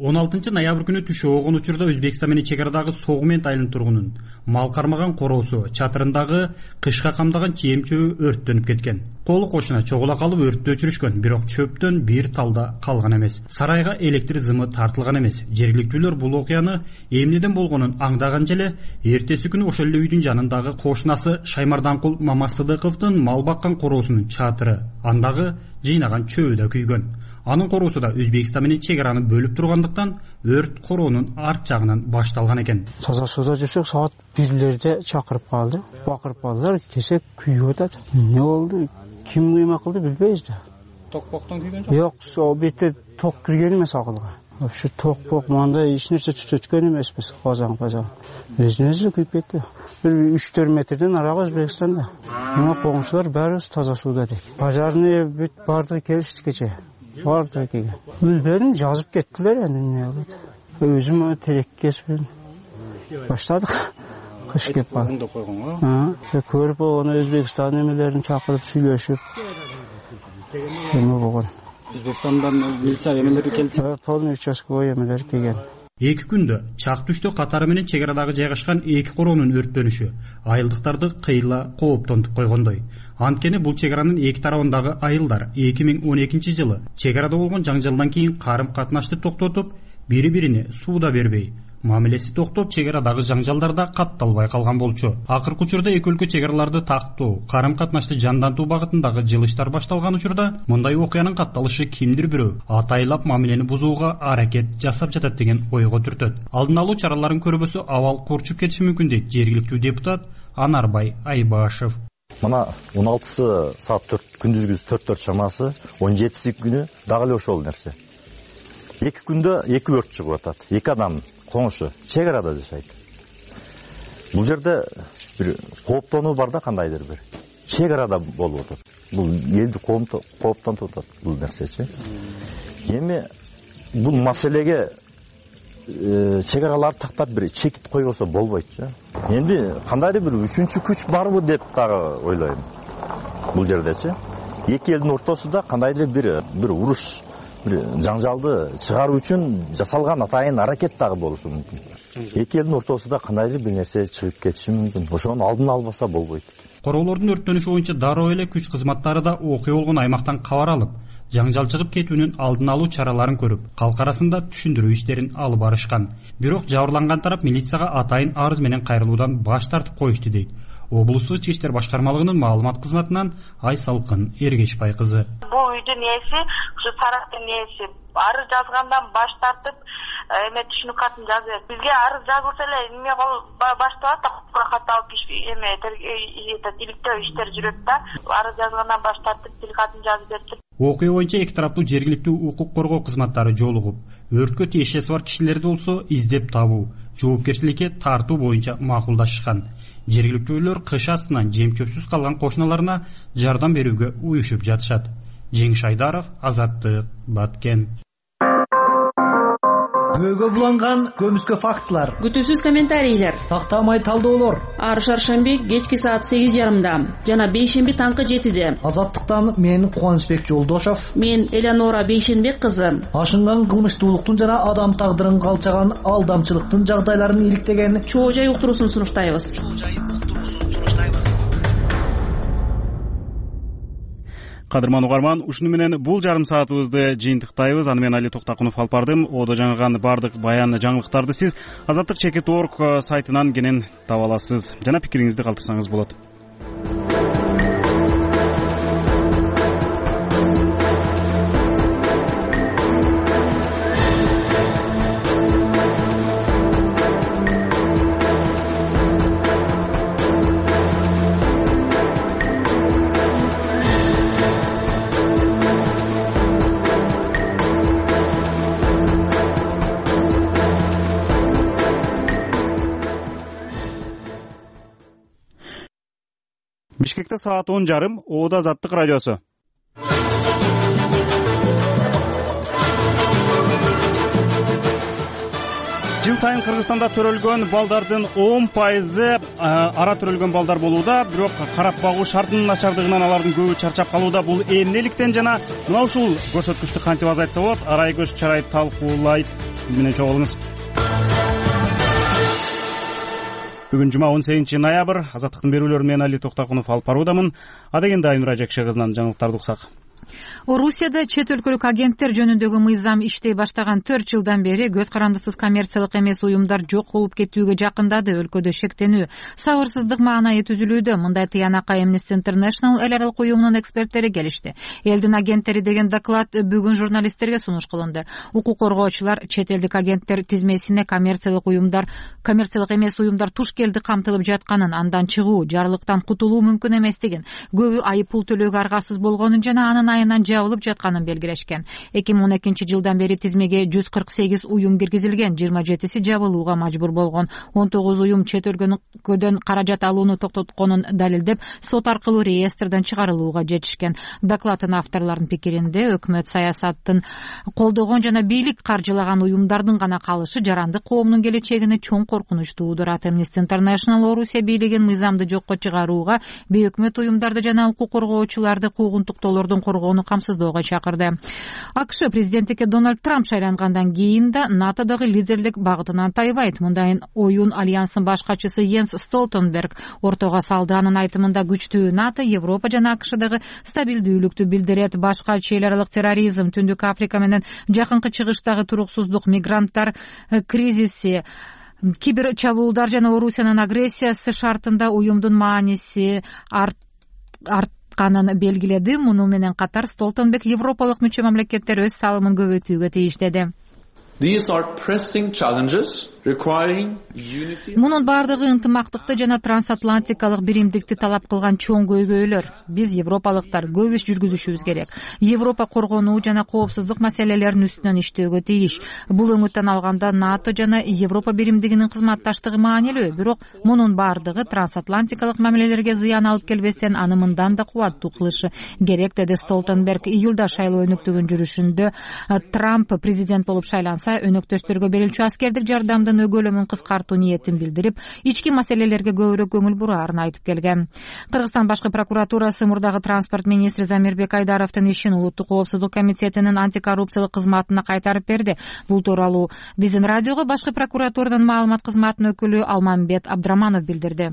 он алтынчы ноябрь күнү түшө болгон учурда Өзбекстан менен чек арадагы Согмент айылынын тургунун мал кармаган короосу чатырындагы кышка камдаган чейим чөбү өрттөнүп кеткен. Колу кошуна чогула калып өрттү өчүрүшкөн, бирок чөптөн бир талда калган эмес. Сарайга электр зымы тартылган эмес. Жергиликтүүлөр бул окуяны эмнеден болгонун аңдаган желе эртеси күнү ошол эле үйдүн жанындагы кошунасы Шаймарданкул Мамасыдыковдун мал баккан короосунун чатыры, андагы жыйнаган чөбү да күйгөн. Анын короосу да Өзбекстан менен чек араны бөлүп тургандыктан өрт короонун арт жагынан башталган экен. Таза сууда жүрсөк саат бирлерде чакырып калды. Бакырып калдылар, кесек күйүп атат. Эмне болду? Ким кыймак кылды билбейбиз да. Токпоктон күйгөн жок? Жок, сол бетте ток кирген эмес акылга. Вообще токпок мындай эч нерсе түтөткөн эмеспиз, казан-казан. Өзүнө күйүп кетти. Бир үч төрт метрден арага Өзбекстанда. Мына коңшулар баарыбыз таза сууда дейт. Пожарный бүт барды келишти кече. Барды деген. Билбедим, жазып кеттилер эndi эмне болот. Өзүм терек кесип баштадык. Кыш кеп калды. Ha, көрүп оны Өзбекстан эмелерин чакырып сүйлөшүп. Эме болгон. Өзбекстандан милиция эмелери келди. Полный участковый эмелер келген. Эки күндө чак түштө катары менен чек арадагы жайгашкан эки короонун өрттөнүшү айылдыктарды кыйла кооптонтуп койгондой. Анткени бул чек аранын эки тарабындагы айылдар эки миң он экинчи жылы чек арада болгон жаңжалдан кийин карым катнашты токтотуп, бири-бирине сууда бербей, мамилеси токтоп, чек арадагы жаңжалдарда катталбай калган болчу. Акыркы учурда эки өлкө чек араларды тактоо, карым катнашты жандантуу багытындагы жылыштар башталган учурда мындай окуянын катталышы кимдир бирөө атайлап мамилени бузууга аракет жасап жатат деген ойго түртөт. Алдын алуу чараларын көрбөсө абал курчуп кетиши мүмкүн дейт жергиликтүү депутат Анарбай Айбашев. Мына он алтысы саат төрт күндүзгү төрт төрт чамасы, он жетиси күнү дагы эле ошол нерсе. Эки күндө эки өрт чыгып атат. Эки адам коңшу чек арада жашайт. Бул жерде бир кооптонуу бар да, кандайдыр бир. Чек арада болуп атат. Бул элди кооптонтуп атат бул нерсечи. Эми бул маселеге чек араларды тактап бир чекит койбосо болбойтчу. Энди кандайдыр бир үчүнчү күч барбы деп дагы ойлойм. Бул жердечи эки элдин ортосунда кандайдыр бир бир уруш, бир жаңжалды чыгаруу үчүн жасалган атайын аракет дагы болушу мүмкүн. Эки элдин ортосунда кандайдыр бир нерсе чыгып кетиши мүмкүн. Ошону алдын албаса болбойт. Короолордун өрттөнүшү боюнча дароо эле күч кызматтары да окуя болгон аймактан кабар алып, жаңжал чыгып кетүүнүн алдын алуу чараларын көрүп, калк арасында түшүндүрүү иштерин алып барышкан. Бирок жабырланган тарап милицияга атайын арыз менен кайрылуудан баш тартып коюшту дейт облустук ички иштер башкармалыгынын маалымат кызматынан Айсалкын Эргешбай кызы. Бул үйдүн ээси, ушу сарайдын ээси арыз жазгандан баш тартып, эме түшүнүк катын жазып, бизге арыз жазылса эле эме башталат да, кат алып эме иликтөө иштер жүрөт да, арыз жазгандан баш тартып тил катын жазып берди. Окуя боюнча эки тараптуу жергиликтүү укук коргоо кызматтары жолугуп, өрткө тиешеси бар кишилерди болсо издеп табуу, жоопкерчиликке тартуу боюнча макулдашышкан. Жергиликтүүлөр кыш астынан жем чөпсүз калган кошуналарына жардам берүүгө уюшуп жатышат. Жеңиш Айдаров, Азаттык, Баткен. Көөгө буланган көмүскө фактылар, күтүүсүз комментарийлер, тактамай талдоолор. Ар шаршемби кечки саат сегиз жарымда жана бейшемби таңкы жетиде. Азаттыктан мен Кубанычбек Жолдошов, мен Элеонора Бейшенбек кызы. Ашынган кылмыштуулуктун жана адам тагдырын калчаган алдамчылыктын жагдайларын иликтеген чоо жай уктуруусун сунуштайбыз. Кадырман угарман, ушуну менен бул жарым саатыбызды жыйынтыктайбыз. Аны мен Али Токтакунов алып бардым. Одо жаңырган бардык баян жаңылыктарды сиз азаттык чекит точка орг сайтынан кенен таба аласыз жана пикириңизди калтырсаңыз болот. Бишкекте саат он жарым. Оода Азаттык радиосу. Жыл сайын Кыргызстанда төрөлгөн балдардын он пайызы ара төрөлгөн балдар болууда, бирок карап багуу шартынын начардыгынан алардын көбү чарчап калууда. Бул эмнеликтен жана мына ушул көрсөткүчтү кантип азайтса болот? Арайкөз Чарай талкуулайт. Биз менен чогуу болуңуз. Бүгүн жума он сегизинчи ноябрь. Азаттыктын берүүлөрү менен Али Токтакунов алып баруудамын. Адегенде Айнура Жекше кызынан жаңылыктарды уксак. Орусияда чет өлкөлүк агенттер жөнүндөгү мыйзам иштей баштаган төрт жылдан бери көз карандысыз коммерциялык эмес уюмдар жок болуп кетүүгө жакындады. Өлкөдө шектенүү, сабырсыздык маанайы түзүлүүдө. Мындай тыянакка Amnesty International эл аралык уюмунун эксперттери келишти. Элдин агенттери деген доклад бүгүн журналисттерге сунуш кылынды. Укук коргоочулар чет элдик агенттер тизмесине коммерциялык уюмдар, коммерциялык эмес уюмдар туш келди камтылып жатканын, андан чыгуу, жарлыктан кутулуу мүмкүн эместигин, көбү айып пул төлөөгө аргасыз болгонун жана анын айынан жабылып жатканын белгилешкен. эки миң он экинчи жылдан бери тизмеге жүз кырк сегиз уюм киргизилген, жыйырма жетиси жабылууга мажбур болгон. он тогуз уюм чет өлкөдөн каражат алууну токтотконун далилдеп, сот аркылуу реестрден чыгарылууга жетишкен. Докладдын авторлорунун пикиринде, өкмөт саясатын колдогон жана бийлик каржылаган уюмдардын гана калышы жарандык коомдун келечегине чоң коркунуч туудурат. Amnesty International Орусия бийлигин мыйзамды жокко чыгарууга, бейөкмөт уюмдарды жана укук коргоочуларды куугунтуктоолордун коргоону камсыздоого чакырды. АКШ президенттикке Дональд Трамп шайлангандан кийин да НАТОдогу лидерлик багытынан тайбайт. Мындай оюн альянстын баш катчысы Йенс Столтенберг ортого салды. Анын айтымында күчтүү НАТО Европа жана АКШдагы стабилдүүлүктү билдирет. Баш катчы эл аралык терроризм, Түндүк Африка менен Жакынкы Чыгыштагы туруксуздук, мигранттар кризиси, кибер чабуулдар жана Орусиянын агрессиясы шартында уюмдун мааниси арт канын белгиледи. Муну менен катар Столтенберг европалык мүчө мамлекеттер өз салымын көбөйтүүгө тийиш деди. These are pressing challenges requiring unity. Мунун бардыгы ынтымактыкты жана трансатлантикалык биримдикти талап кылган чоң көйгөйлөр. Биз европалыктар көп иш жүргүзүшүбүз керек. Европа коргонуу жана коопсуздук маселелеринин үстүнөн иштөөгө тийиш. Бул өңүттөн алганда НАТО жана Европа биримдигинин кызматташтыгы маанилүү, бирок мунун бардыгы трансатлантикалык мамилелерге зыян алып келбестен аны мындан да кубаттуу кылышы керек, деди Столтенберг. Июлда шайлоо өнөктүгүн жүрүшүндө Трамп президент болуп шайланса, өнөктөштөргө берилчү аскердик жардамдын өгөлөмүн кыскартуу ниетин билдирип, ички маселелерге көбүрөөк көңүл бураарын айтып келген. Кыргызстан башкы прокуратурасы мурдагы транспорт министри Замирбек Айдаровдун ишин Улуттук коопсуздук комитетинин антикоррупциялык кызматына кайтарып берди. Бул тууралуу биздин радиого башкы прокуратуранын маалымат кызматынын өкүлү Алмамбет Абдраманов билдирди.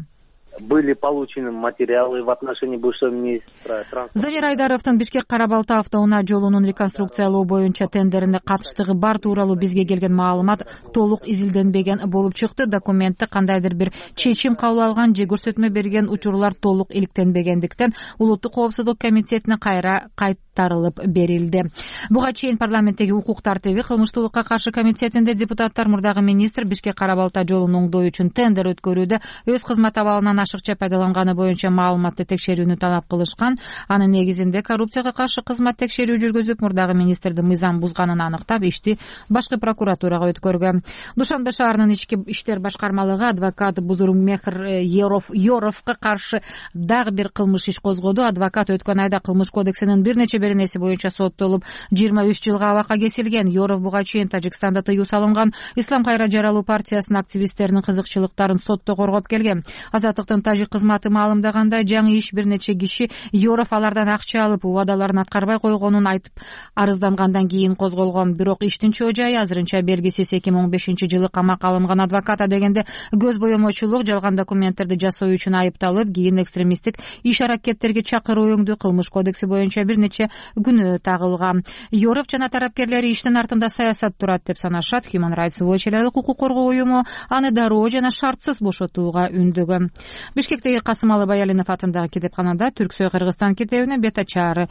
Были получены материалы в отношении бывшего министра транспорта. Замир Айдаровдун Бишкек-Карабалта автоунаа жолунун реконструкциялоо боюнча тендерине катыштыгы бар тууралуу бизге келген маалымат толук изилденбеген болуп чыкты. Документте кандайдыр бир чечим кабыл алган же көрсөтмө берген учурлар толук иликтенбегендиктен Улуттук коопсуздук комитетине кайра кайтарылып берилди. Буга чейин парламенттеги укук тартиби, кылмыштуулукка каршы комитетинде депутаттар мурдагы министр Бишкек-Карабалта жолун оңдоо үчүн тендер өткөрүүдө өз кызмат абалынан ашыкча пайдаланганы боюнча маалыматты текшерүүнү талап кылышкан. Анын негизинде коррупцияга каршы кызмат текшерүү жүргүзүп, мурдагы министрдин мыйзам бузганын аныктап, ишти башкы прокуратурага өткөргөн. Душанбе шаарынын ички иштер башкармалыгы адвокат Бузурукмехр Yorov Yorovго каршы дагы бир кылмыш иш козгоду. Адвокат өткөн айда кылмыш кодексинин бир нече беренеси боюнча соттолуп, жыйырма үч жылга абакка кесилген. Yorov буга чейин Тажикстанда тыюу салынган Ислам кайра жаралуу партиясынын активисттеринин кызыкчылыктарын сотто коргоп келген. Азаттыктын тажик кызматы маалымдагандай, жаңы иш бир нече киши Yorov алардан акча алып, убадаларын аткарбай койгонун айтып арыздангандан кийин козголгон. Бирок иштин чоо жайы азырынча белгисиз. эки миң он бешинчи жылы камакка алынган адвокат дегенде көз боемочулук, жалган документтерди жасоо үчүн айыпталып, кийин экстремисттик иш аракеттерге чакыруу өңдүү кылмыш кодекси боюнча бир нече күнөө тагылган. Yorov жана тарапкерлери иштин артында саясат турат деп санашат. Human Rights Watch эл аралык укук коргоо уюму аны дароо жана шартсыз бошотууга үндөгөн. Бишкектеги Касымалы Баялинов атындагы китепканада Түрксой Кыргызстан китебине бет ачары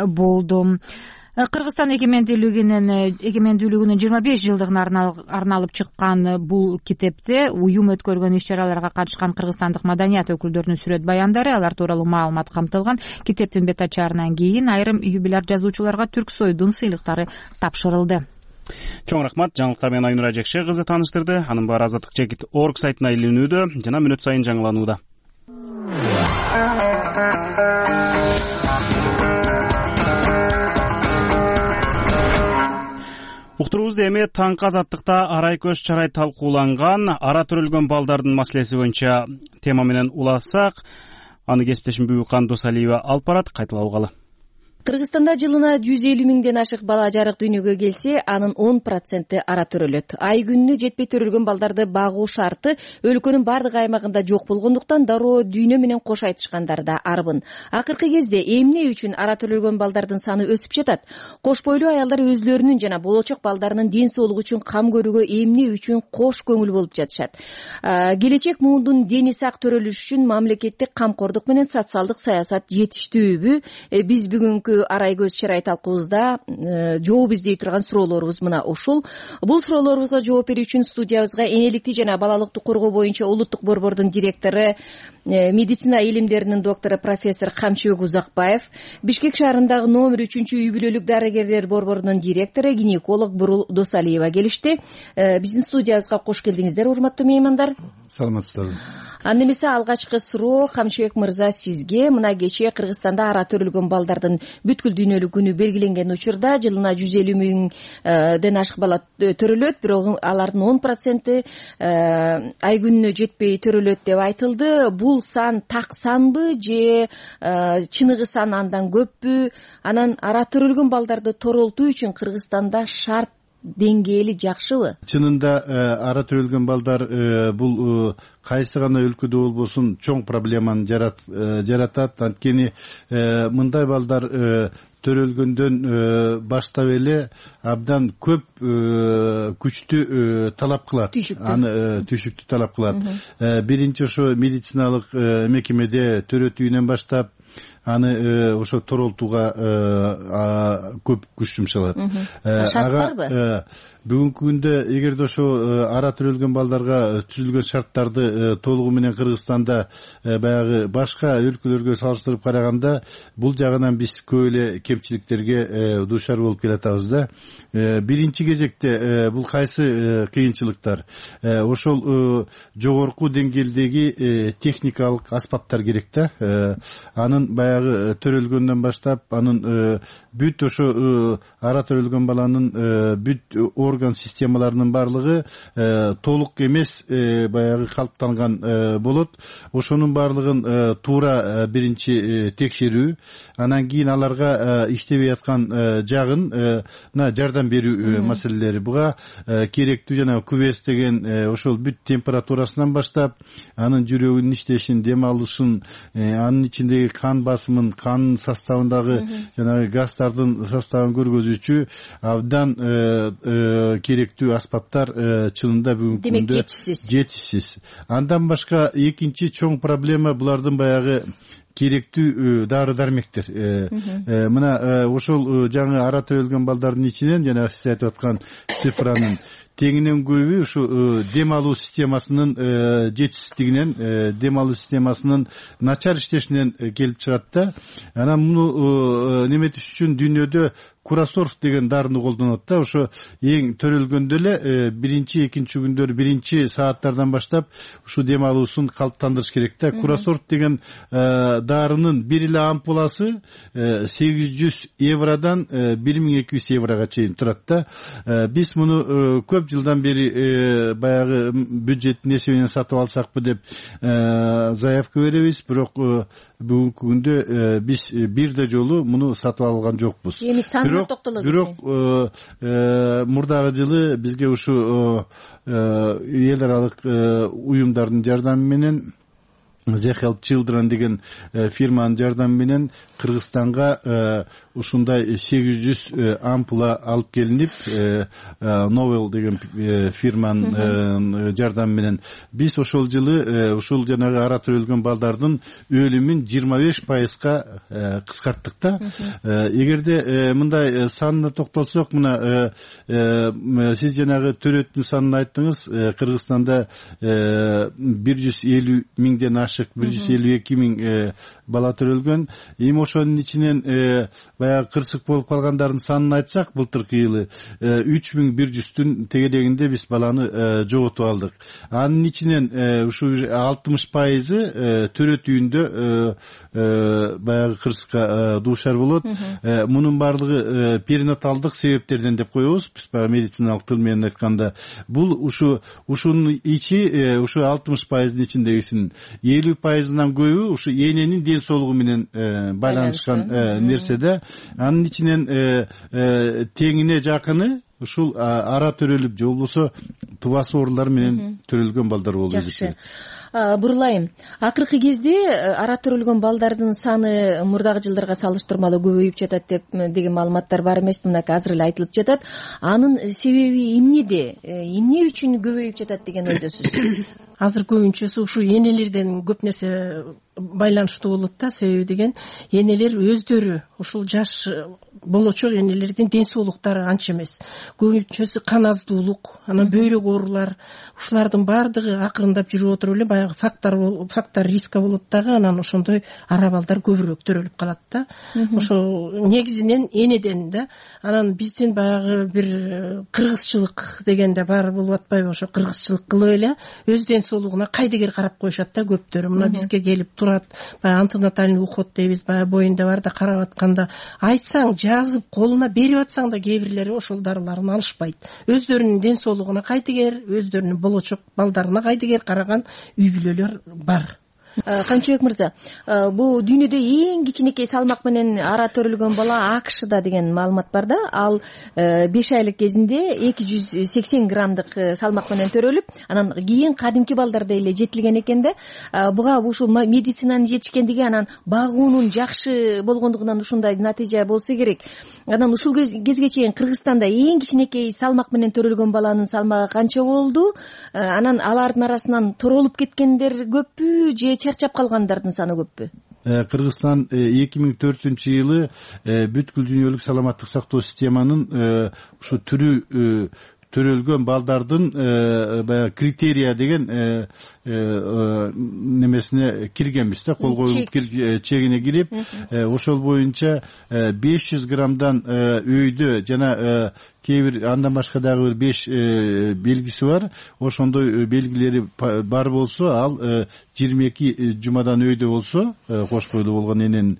болду. Кыргызстан эгемендүүлүгүнүн эгемендүүлүгүнүн жыйырма беш жылдыгына арналып чыккан бул китепте уюм өткөргөн иш-чараларга катышкан кыргызстандык маданият өкүлдөрүнүн сүрөт баяндары, алар тууралуу маалымат камтылган. Китептин бет ачарынан кийин айрым юбиляр жазуучуларга Түрксойдун сыйлыктары тапшырылды. Чоң рахмат. Жаңылыктар менен Айнура Жекше кызы тааныштырды. Анын баары азаттык чекит орг сайтына илинүүдө жана мүнөт сайын жаңыланууда. Уктуруубузда эми таңкы азаттыкта арай көз чарай талкууланган ара төрөлгөн балдардын маселеси боюнча тема менен улассак, аны кесиптешим Бүбүкан Досалиева алып барат. Кайталап алгалы. Кыргызстанда жылына жүз элүү миңден ашык бала жарык дүйнөгө келсе, анын он проценти ара төрөлөт. Ай күнүнө жетпей төрөлгөн балдарды багуу шарты өлкөнүн бардык аймагында жок болгондуктан дароо дүйнө менен кош айтышкандар да арбын. Акыркы кезде эмне үчүн ара төрөлгөн балдардын саны өсүп жатат? Кош бойлуу аялдар өзлөрүнүн жана болочок балдарынын ден соолугу үчүн кам көрүүгө эмне үчүн кош көңүл болуп жатышат? Келечек муундун дени сак төрөлүшү үчүн мамлекеттик камкордук менен социалдык саясат жетиштүүбү? Биз бүгүнкү арай көз чарай талкуубузда жооп издей турган суроолорубуз мына ушул. Бул суроолорубузга жооп берүү үчүн студиябызга энеликти жана балалыкты коргоо боюнча улуттук борбордун директору, медицина илимдеринин доктору профессор Камчыбек Узакбаев, Бишкек шаарындагы номер үчүнчү үй бүлөлүк дарыгерлер борборунун директору, гинеколог Бурул Досалиева келишти. Биздин студиябызга кош келдиңиздер, урматтуу меймандар. Саламатсыздарбы. Анда эмесе алгачкы суроо Камчыбек мырза сизге. Мына кечээ Кыргызстанда ара төрөлгөн балдардын бүткүл дүйнөлүк күнү белгиленген учурда жылына жүз элүү миңден ашык бала төрөлөт, бирок алардын он проценти ай күнүнө жетпей төрөлөт деп айтылды. Бул сан так санбы же чыныгы сан андан көппү? Анан ара төрөлгөн балдарды торолтуу үчүн Кыргызстанда шарт деңгээли жакшыбы? Чынында ара төрөлгөн балдар бул кайсы гана өлкөдө болбосун чоң проблеманы жаратат. Анткени мындай балдар төрөлгөндөн баштап эле абдан көп күчтү талап кылат. Аны түшүктү талап кылат. Биринчи ошо медициналык мекемеде төрөтүүнөн баштап аны ошо торолтууга көп күч жумшалат. Шарт барбы? Бүгүнкү күндө эгерде ошо ара төрөлгөн балдарга түзүлгөн шарттарды толугу менен Кыргызстанда баягы башка өлкөлөргө салыштырып караганда бул жагынан биз көп эле кемчиликтерге дуушар болуп келатабыз да. Биринчи кезекте бул кайсы кыйынчылыктар? Ошол жогорку деңгээлдеги техникалык аспаптар керек да. Анын баягы төрөлгөндөн баштап анын бүт ошо ара төрөлгөн баланын бүт орган системаларынын баардыгы толук эмес баягы калыптанган болот. Ошонун баардыгын туура биринчи текшерүү, анан кийин аларга иштебей аткан жагына жардам берүү маселелери. Буга керектүү жана күбөс деген ошол бүт температурасынан баштап анын жүрөгүнүн иштешин, дем алышын, анын ичиндеги кан басымын, кан составындагы жанагы газдардын составын көргөзүүчү абдан керектүү аспаптар чынында бүгүнкү күндө жетишсиз. Андан башка экинчи чоң проблема булардын баягы керектүү дары дармектер. Мына ошол жаңы ара төрөлгөн балдардын ичинен жана сиз айтып аткан цифранын теңинен көбү ушу дем алуу системасынын жетишсиздигинен, дем алуу системасынын начар иштешинен келип чыгат да. Анан муну неметиш үчүн дүйнөдө Курасорф деген дарыны колдонот да. Ошо эң төрөлгөндө эле биринчи, экинчи күндөр, биринчи сааттардан баштап ушу дем алуусун калыптандырыш керек да. Курасорф деген дарынын бир эле ампуласы сегиз жүз евродан бир миң эки жүз еврого чейин турат да. Биз муну көп жылдан бери баягы бюджеттин эсебинен сатып алсакпы деп заявка беребиз, бирок бүгүнкү күндө биз бир да жолу муну сатып алган жокпуз. Эми санына токтоло кетсең. Бирок мурдагы жылы бизге ушу эл аралык уюмдардын жардамы менен The Help Children деген фирманын жардамы менен Кыргызстанга ушундай сегиз жүз ампула алып келинип, Novel деген фирманын жардамы менен биз ошол жылы ушул жанагы ара төрөлгөн балдардын өлүмүн жыйырма беш пайызга кыскарттык да. Эгерде мындай санына токтолсок, мына сиз жанагы төрөттүн санын айттыңыз. Кыргызстанда бир жүз элүү миңден ашык ашык бир жүз элүү эки миң бала төрөлгөн. Эми ошонун ичинен баягы кырсык болуп калгандардын санын айтсак, былтыркы жылы үч миң бир жүздүн тегерегинде биз баланы жоготуп алдык. Анын ичинен ушу алтымыш пайызы төрөтүүндө баягы кырсыкка дуушар болот. Мунун баардыгы перинаталдык себептерден деп коебуз. Биз баягы медициналык тил менен айтканда, бул ушу ушунун ичи ушу алтымыш пайыздын ичиндегисинин элүү пайызынан көбү ушу эненин ден соолугу менен байланышкан нерседе. Анын ичинен теңине жакыны ушул ара төрөлүп же болбосо тубас оорулар менен төрөлгөн балдар болуп эсептелет. Бурулайым, акыркы кезде ара төрөлгөн балдардын саны мурдагы жылдарга салыштырмалуу көбөйүп жатат деп деген маалыматтар бар эмес, мынакей азыр эле айтылып жатат. Анын себеби эмнеде? Эмне үчүн көбөйүп жатат деген ойдосуз? Азыр көбүнчөсү ушу энелерден көп нерсе байланыштуу болот да. Себеби деген энелер өздөрү ушул жаш болочок энелердин ден соолуктары анча эмес. Көбүнчөсү кан аздуулук, анан бөйрөк оорулар, ушулардын баардыгы акырындап жүрүп отуруп эле баягы фактор фактор риска болот дагы, анан ошондой ара балдар көбүрөөк төрөлүп калат да. Ошо негизинен энеден да. Анан биздин баягы бир кыргызчылык дегенде бар болуп атпайбы? Ошо кыргызчылык кылып эле өз ден соолугуна кайдыгер карап коюшат да көптөрү. Мына бизге келип турат, баягы антинатальный уход дейбиз, баягы боюнда бар да карап атканда айтсаң, жазып колуна берип атсаң да кээ бирлери ошол дарыларын алышпайт. Өздөрүнүн ден соолугуна кайдыгер, өздөрүнүн болочок балдарына кайдыгер караган үй бүлөлөр бар. Канчыбек мырза, бул дүйнөдө эң кичинекей салмак менен ара төрөлгөн бала АКШда деген маалымат бар да. Ал беш айлык кезинде эки жүз сексен граммдык салмак менен төрөлүп, анан кийин кадимки балдарда эле жетилген экен да. Буга ушул медицинанын жетишкендиги, анан багуунун жакшы болгондугунан ушундай натыйжа болсо керек. Анан ушул кезге чейин Кыргызстанда эң кичинекей салмак менен төрөлгөн баланын салмагы канча болду? Анан алардын арасынан торолуп кеткендер көппү же чарчап калгандардын саны көппү? Кыргызстан эки миң төртүнчү жылы бүткүл дүйнөлүк саламаттык сактоо системанын ушу түрү төрөлгөн балдардын баягы критерия деген немесине киргенбиз да, кол коюлуп чегине кирип, ошол боюнча беш жүз граммдан өйдө жана кээ бир андан башка дагы бир беш белгиси бар. Ошондой белгилери бар болсо, ал жыйырма эки жумадан өйдө болсо, кош бойлуу болгон эненин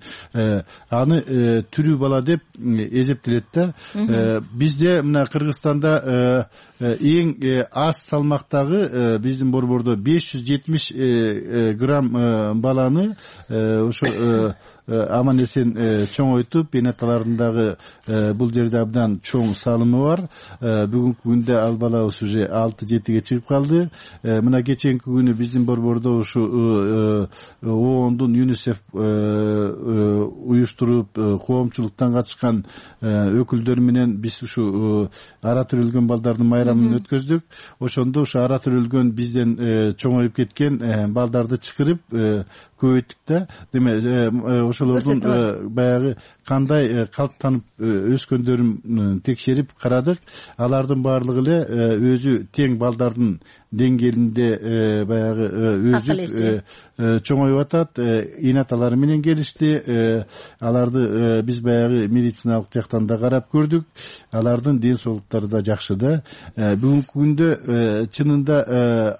аны түрүү бала деп эсептелет да. Бизде мына Кыргызстанда эң аз салмактагы биздин борбордо беш жүз жетимиш грамм баланы ошо аман эсен чоңойтуп, энаталардын дагы бул жерде абдан чоң салымы бар. Бүгүнкү күндө ал балабыз уже алты жетиге чыгып калды. Мына кеченки күнү биздин борбордо ушу оондун ЮНИСЕФ уюштуруп коомчулуктан катышкан өкүлдөр менен биз ушу ара төрөлгөн балдардын майрамын өткөздүк. Ошондо ушу ара төрөлгөн бизден чоңоюп кеткен балдарды чакырып көбөйттүк да. Демек ошолордун баягы кандай калыптанып өскөндөрүн текшерип карадык. Алардын баардыгы эле өзү тең балдардын деңгээлинде баягы өзү чоңоюп атат. Энаталары менен келишти. Аларды биз баягы медициналык жактан да карап көрдүк. Алардын ден соолуктары да жакшы да. Бүгүнкү күндө чынында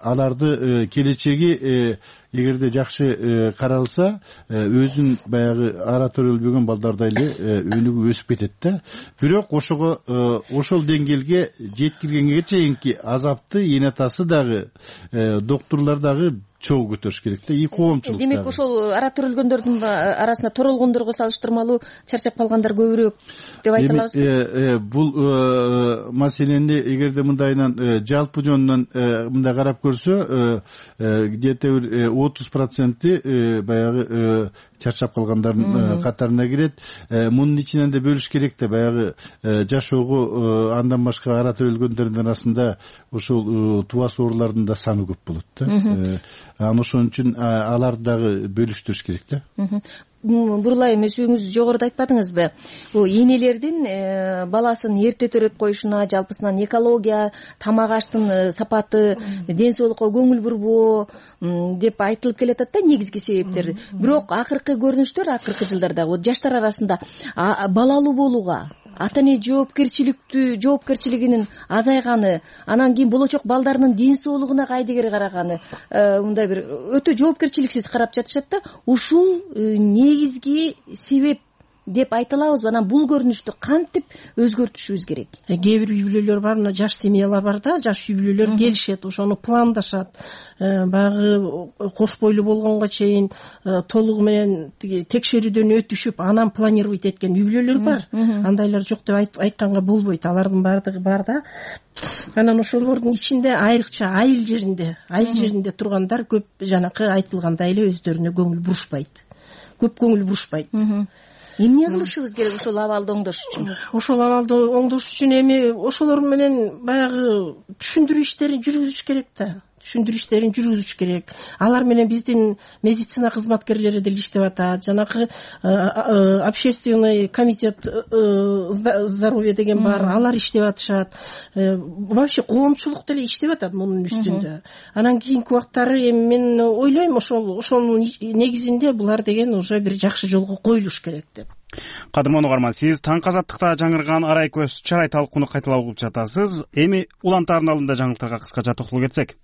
аларды келечеги эгерде жакшы каралса, өзүн баягы ара төрөлбөгөн балдардай эле өнүгүп өсүп кетет да. Бирок ошого ошол деңгээлге жеткиргенге чейинки азапты энатасы дагы, доктурлар дагы чогуу көтөрүш керек да, и коомчулук. Демек ошол ара төрөлгөндөрдүн арасында торолгондорго салыштырмалуу чарчап калгандар көбүрөөк деп айта алабызбы? Бул маселени эгерде мындайынан жалпы жөнүнөн мындай карап көрсө, где-то бир отуз проценти баягы чарчап калгандардын катарына кирет. Мунун ичинен да бөлүш керек да, баягы жашоого андан башка ара төрөлгөндөрдүн арасында ушул тубас оорулардын да саны көп болот да. анан ошон үчүн аларды дагы бөлүштүрүш керек да. Бурулайым, өзүңүз жогоруда айтпадыңызбы, бул энелердин баласын эрте төрөп коюшуна, жалпысынан экология, тамак аштын сапаты, ден соолукка көңүл бурбоо деп айтылып келатат да негизги себептер. Бирок акыркы көрүнүштөр, акыркы жылдардагы жаштар арасында балалуу болууга ата эне жоопкерчиликтүү жоопкерчилигинин азайганы, анан кийин болочок балдарынын ден соолугуна кайдыгер караганы, мындай бир өтө жоопкерчиликсиз карап жатышат да. Ушул негизги себеп деп айта алабызбы? Анан бул көрүнүштү кантип өзгөртүшүбүз керек? Кээ бир үй бүлөлөр бар, мына жаш семьялар бар да, жаш үй бүлөлөр келишет, ошону пландашат. Баягы кош бойлуу болгонго чейин толугу менен текшерүүдөн өтүшүп, анан планировать эткен үй бүлөлөр бар. Андайлар жок деп айтканга болбойт. Алардын баардыгы бар да. Анан ошолордун ичинде айрыкча айыл жеринде, айыл жеринде тургандар көп жанакы айтылгандай эле өздөрүнө көңүл бурушпайт. Көп көңүл бурушпайт. Эмне кылышыбыз керек ошол абалды оңдош үчүн? Ошол абалды оңдош үчүн эми ошолор менен баягы түшүндүрүү иштерин жүргүзүш керек да. Түшүндүрүү иштерин жүргүзүш керек. Алар менен биздин медицина кызматкерлери деле иштеп атат. Жанакы общественный комитет здоровья деген бар, алар иштеп атышат. Вообще коомчулук деле иштеп атат мунун үстүндө. Анан кийинки убактары эми мен ойлойм, ошол ошонун негизинде булар деген уже бир жакшы жолго коюлуш керек деп. Кадырман угарман, сиз Таңкы Азаттыкта жаңырган арай көз чарай талкууну кайталап угуп жатасыз. Эми улан тарналында жаңылыктарга кыскача токтолуп кетсек.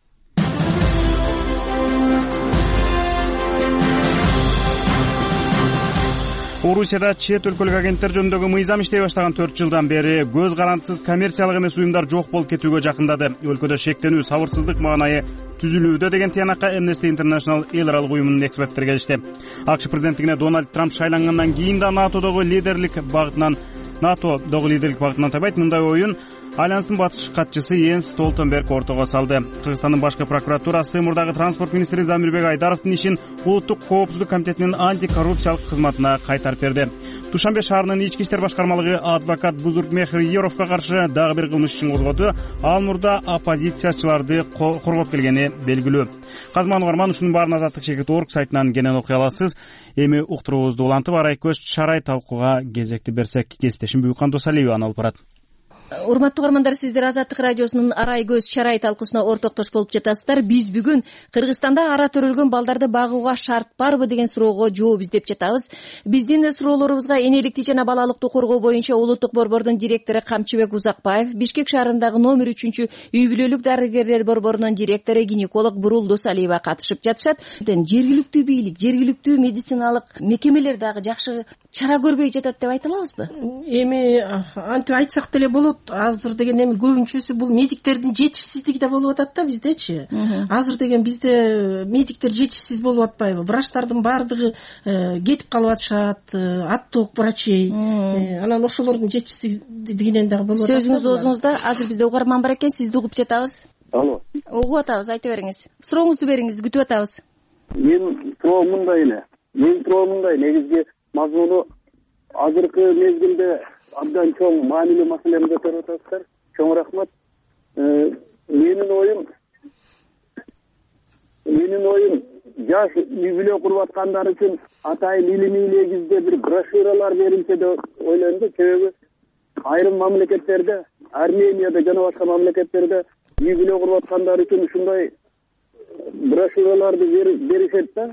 Орусияда чет өлкөлүк агенттер жөнүндөгү мыйзам иштей баштаган төрт жылдан бери көз карандысыз коммерциялык эмес уюмдар жок болуп кетүүгө жакындады. Өлкөдө шектенүү, сабырсыздык маанайы түзүлүүдө деген тыянакка Amnesty International эл аралык уюмунун эксперттери келишти. АКШ президенттигине Дональд Трамп шайлангандан кийин да НАТОдогу лидерлик багытынан НАТОдогу лидерлик багытынан табайт. Мындай оюн Альянстын батыш катчысы Йенс Столтенберг ортого салды. Кыргызстандын башкы прокуратурасы мурдагы транспорт министри Замирбек Айдаровдун ишин Улуттук коопсуздук комитетинин антикоррупциялык кызматына кайтарып берди. Душанбе шаарынын ички иштер башкармалыгы адвокат Бузургмехр Еровго каршы дагы бир кылмыш ишин козгоду. Ал мурда оппозициячыларды коргоп келгени белгилүү. Казман угарман, ушунун баарын Азаттык чекит орг сайтынан кенен окуй аласыз. Эми уктуруубузду улантып, арай көз чарай талкууга кезекти берсек, кесиптешим Буюкан Досалиева аны алып барат. Урматтуу угармандар, сиздер Азаттык радиосунун арай көз чарай талкуусуна ортоктош болуп жатасыздар. Биз бүгүн Кыргызстанда ара төрөлгөн балдарды багууга шарт барбы деген суроого жооп издеп жатабыз. Биздин суроолорубузга энеликти жана балалыктуу коргоо боюнча Улуттук борбордун директору Камчыбек Узакбаев, Бишкек шаарындагы номер үчүнчү үй бүлөлүк дарыгерлер борборунун директору гинеколог Бурул Досалиева катышып жатышат. Жергиликтүү бийлик, жергиликтүү медициналык мекемелер дагы жакшы чара көрбөй жатат деп айта алабызбы? Эми антип айтсак деле болот. Азыр деген эми көбүнчөсү бул медиктердин жетишсиздиги да болуп атат да биздечи. Азыр деген бизде медиктер жетишсиз болуп атпайбы? Врачтардын баардыгы кетип калып атышат, отток врачей. Анан ошолордун жетишсиздигинен дагы болуп атат. Сөзүңүз оозуңузда. Азыр бизде угарман бар экен, сизди угуп жатабыз. Алло. Угуп атабыз, айта бериңиз. Сурооңузду бериңиз, күтүп атабыз. Мен суроо мындай эле. Мен суроо мындай, негизги мазмуну азыркы мезгилде абдан чоң маанилүү маселени көтөрүп атасыздар. Чоң рахмат. Менин оюм менин оюм жаш үй бүлө куруп аткандар үчүн атайын илимий негизде бир брошюралар берилсе деп ойлойм да. Себеби айрым мамлекеттерде, Арменияда жана башка мамлекеттерде үй бүлө куруп аткандар үчүн ушундай брошюраларды беришет да.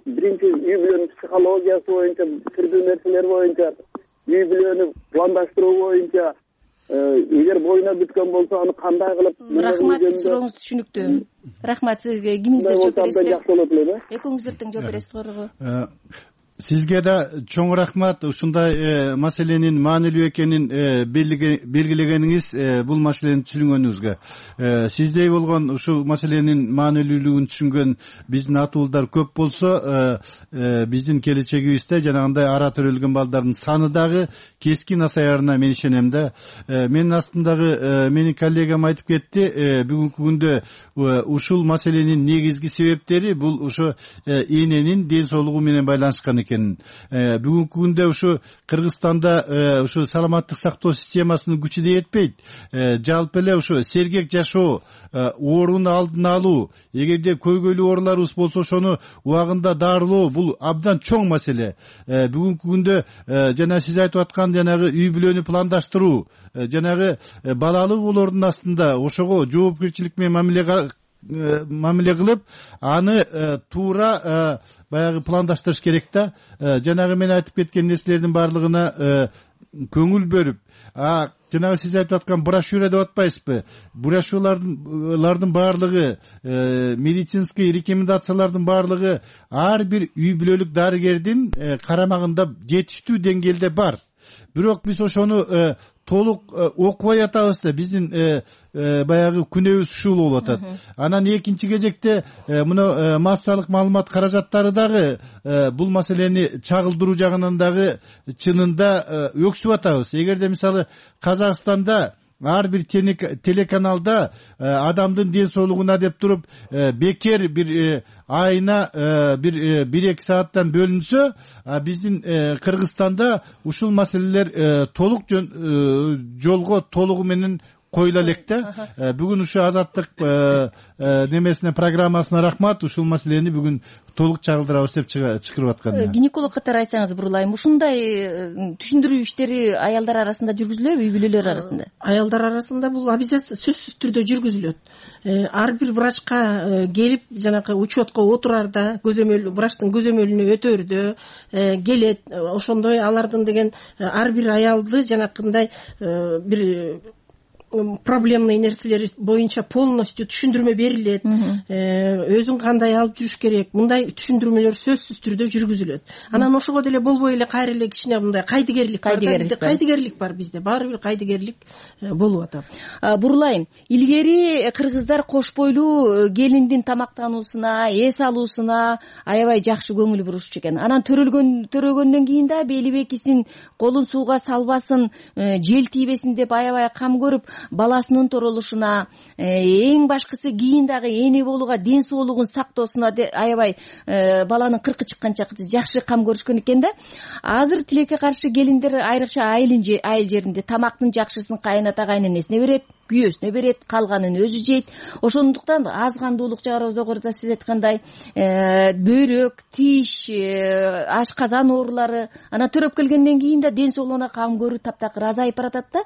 Биринчи үй бүлөнүн психологиясы боюнча, түрдүү нерселер боюнча, үй бүлөнү пландаштыруу боюнча, эгер боюна бүткөн болсо аны кандай кылып. Рахмат, сурооңуз түшүнүктүү. Рахмат, сизге кимиңиздер жооп бересиздер? Жакшы болот эле. Экөөңүздөр тең жооп бересиз корго. Сизге да чоң рахмат. Ушундай маселенин маанилүү экенин белгилегениңиз, бул маселени түшүнгөнүңүзгө. Сиздей болгон ушул маселенин маанилүүлүгүн түшүнгөн биздин атуулдар көп болсо, биздин келечегибизде жанагындай ара төрөлгөн балдардын саны дагы кескин азаярына мен ишенем да. Менин астымдагы менин коллегам айтып кетти, бүгүнкү күндө ушул маселенин негизги себептери бул ошо эненин ден соолугу менен байланышкан экенин. Бүгүнкү күндө ушу Кыргызстанда ушу саламаттык сактоо системасынын күчү да жетпейт. Жалпы эле ушу сергек жашоо, оорунун алдын алуу, эгерде көйгөйлүү ооруларыбыз болсо ошону убагында дарылоо бул абдан чоң маселе. Бүгүнкү күндө жана сиз айтып аткан жанагы үй бүлөнү пландаштыруу, жанагы балалуу болоордун астында ошого жоопкерчилик менен мамиле мамиле кылып, аны туура баягы пландаштырыш керек да. Жанагы мен айтып кеткен нерселердин баардыгына көңүл бөлүп, а жанагы сиз айтып аткан брошюра деп атпайсызбы? Брошюралардын баардыгы, медицинский рекомендациялардын баардыгы ар бир үй бүлөлүк дарыгердин карамагында жетиштүү деңгээлде бар. Бирок биз ошону толук окубай атабыз да, биздин баягы күнөөбүз ушул болуп атат. Анан экинчи кезекте мына массалык маалымат каражаттары дагы бул маселени чагылдыруу жагынан дагы чынында өксүп атабыз. Эгерде мисалы Казакстанда ар бир телеканалда адамдын ден соолугуна деп туруп бекер бир айына бир бир эки сааттан бөлүнсө, биздин Кыргызстанда ушул маселелер толук жолго толугу менен коюла элек да. Бүгүн ушу азаттык немесине программасына рахмат, ушул маселени бүгүн толук чагылдырабыз деп чыгарып аткан. Гинеколог катары айтсаңыз, Бурулайым, ушундай түшүндүрүү иштери аялдар арасында жүргүзүлөбү, үй бүлөлөр арасында? Аялдар арасында бул обязательно сөзсүз түрдө жүргүзүлөт. Ар бир врачка келип, жанагы учетко отурарда, көзөмөл врачтын көзөмөлүнө өтөрдө келет. Ошондой алардын деген ар бир аялды жанакындай бир проблемный нерселери боюнча полностью түшүндүрмө берилет. Өзүн кандай алып жүрүш керек, мындай түшүндүрмөлөр сөзсүз түрдө жүргүзүлөт. Анан ошого деле болбой эле кайра эле кичине мындай кайдыгерлик бар. Бизде кайдыгерлик бар, бизде баары бир кайдыгерлик болуп атат. Бурулайым, илгери кыргыздар кош бойлуу келиндин тамактануусуна, эс алуусуна аябай жакшы көңүл бурушчу экен. Анан төрөлгөн төрөгөндөн кийин да бели бекисин, колун сууга салбасын, жел тийбесин деп аябай кам көрүп, баласынын торолушуна, эң башкысы кийин дагы эне болууга, ден соолугун сактоосуна аябай баланын кыркы чыкканча жакшы кам көрүшкөн экен да. Азыр тилекке каршы келиндер айрыкча айыл жеринде тамактын жакшысын кайната кайненесине берет, күйөөсүнө берет, калганын өзү жейт. Ошондуктан аз кандуулук жогоруда сиз айткандай бөйрөк, тиш, ашказан оорулары, анан төрөп келгенден кийин да ден соолугуна кам көрүү таптакыр азайып баратат да.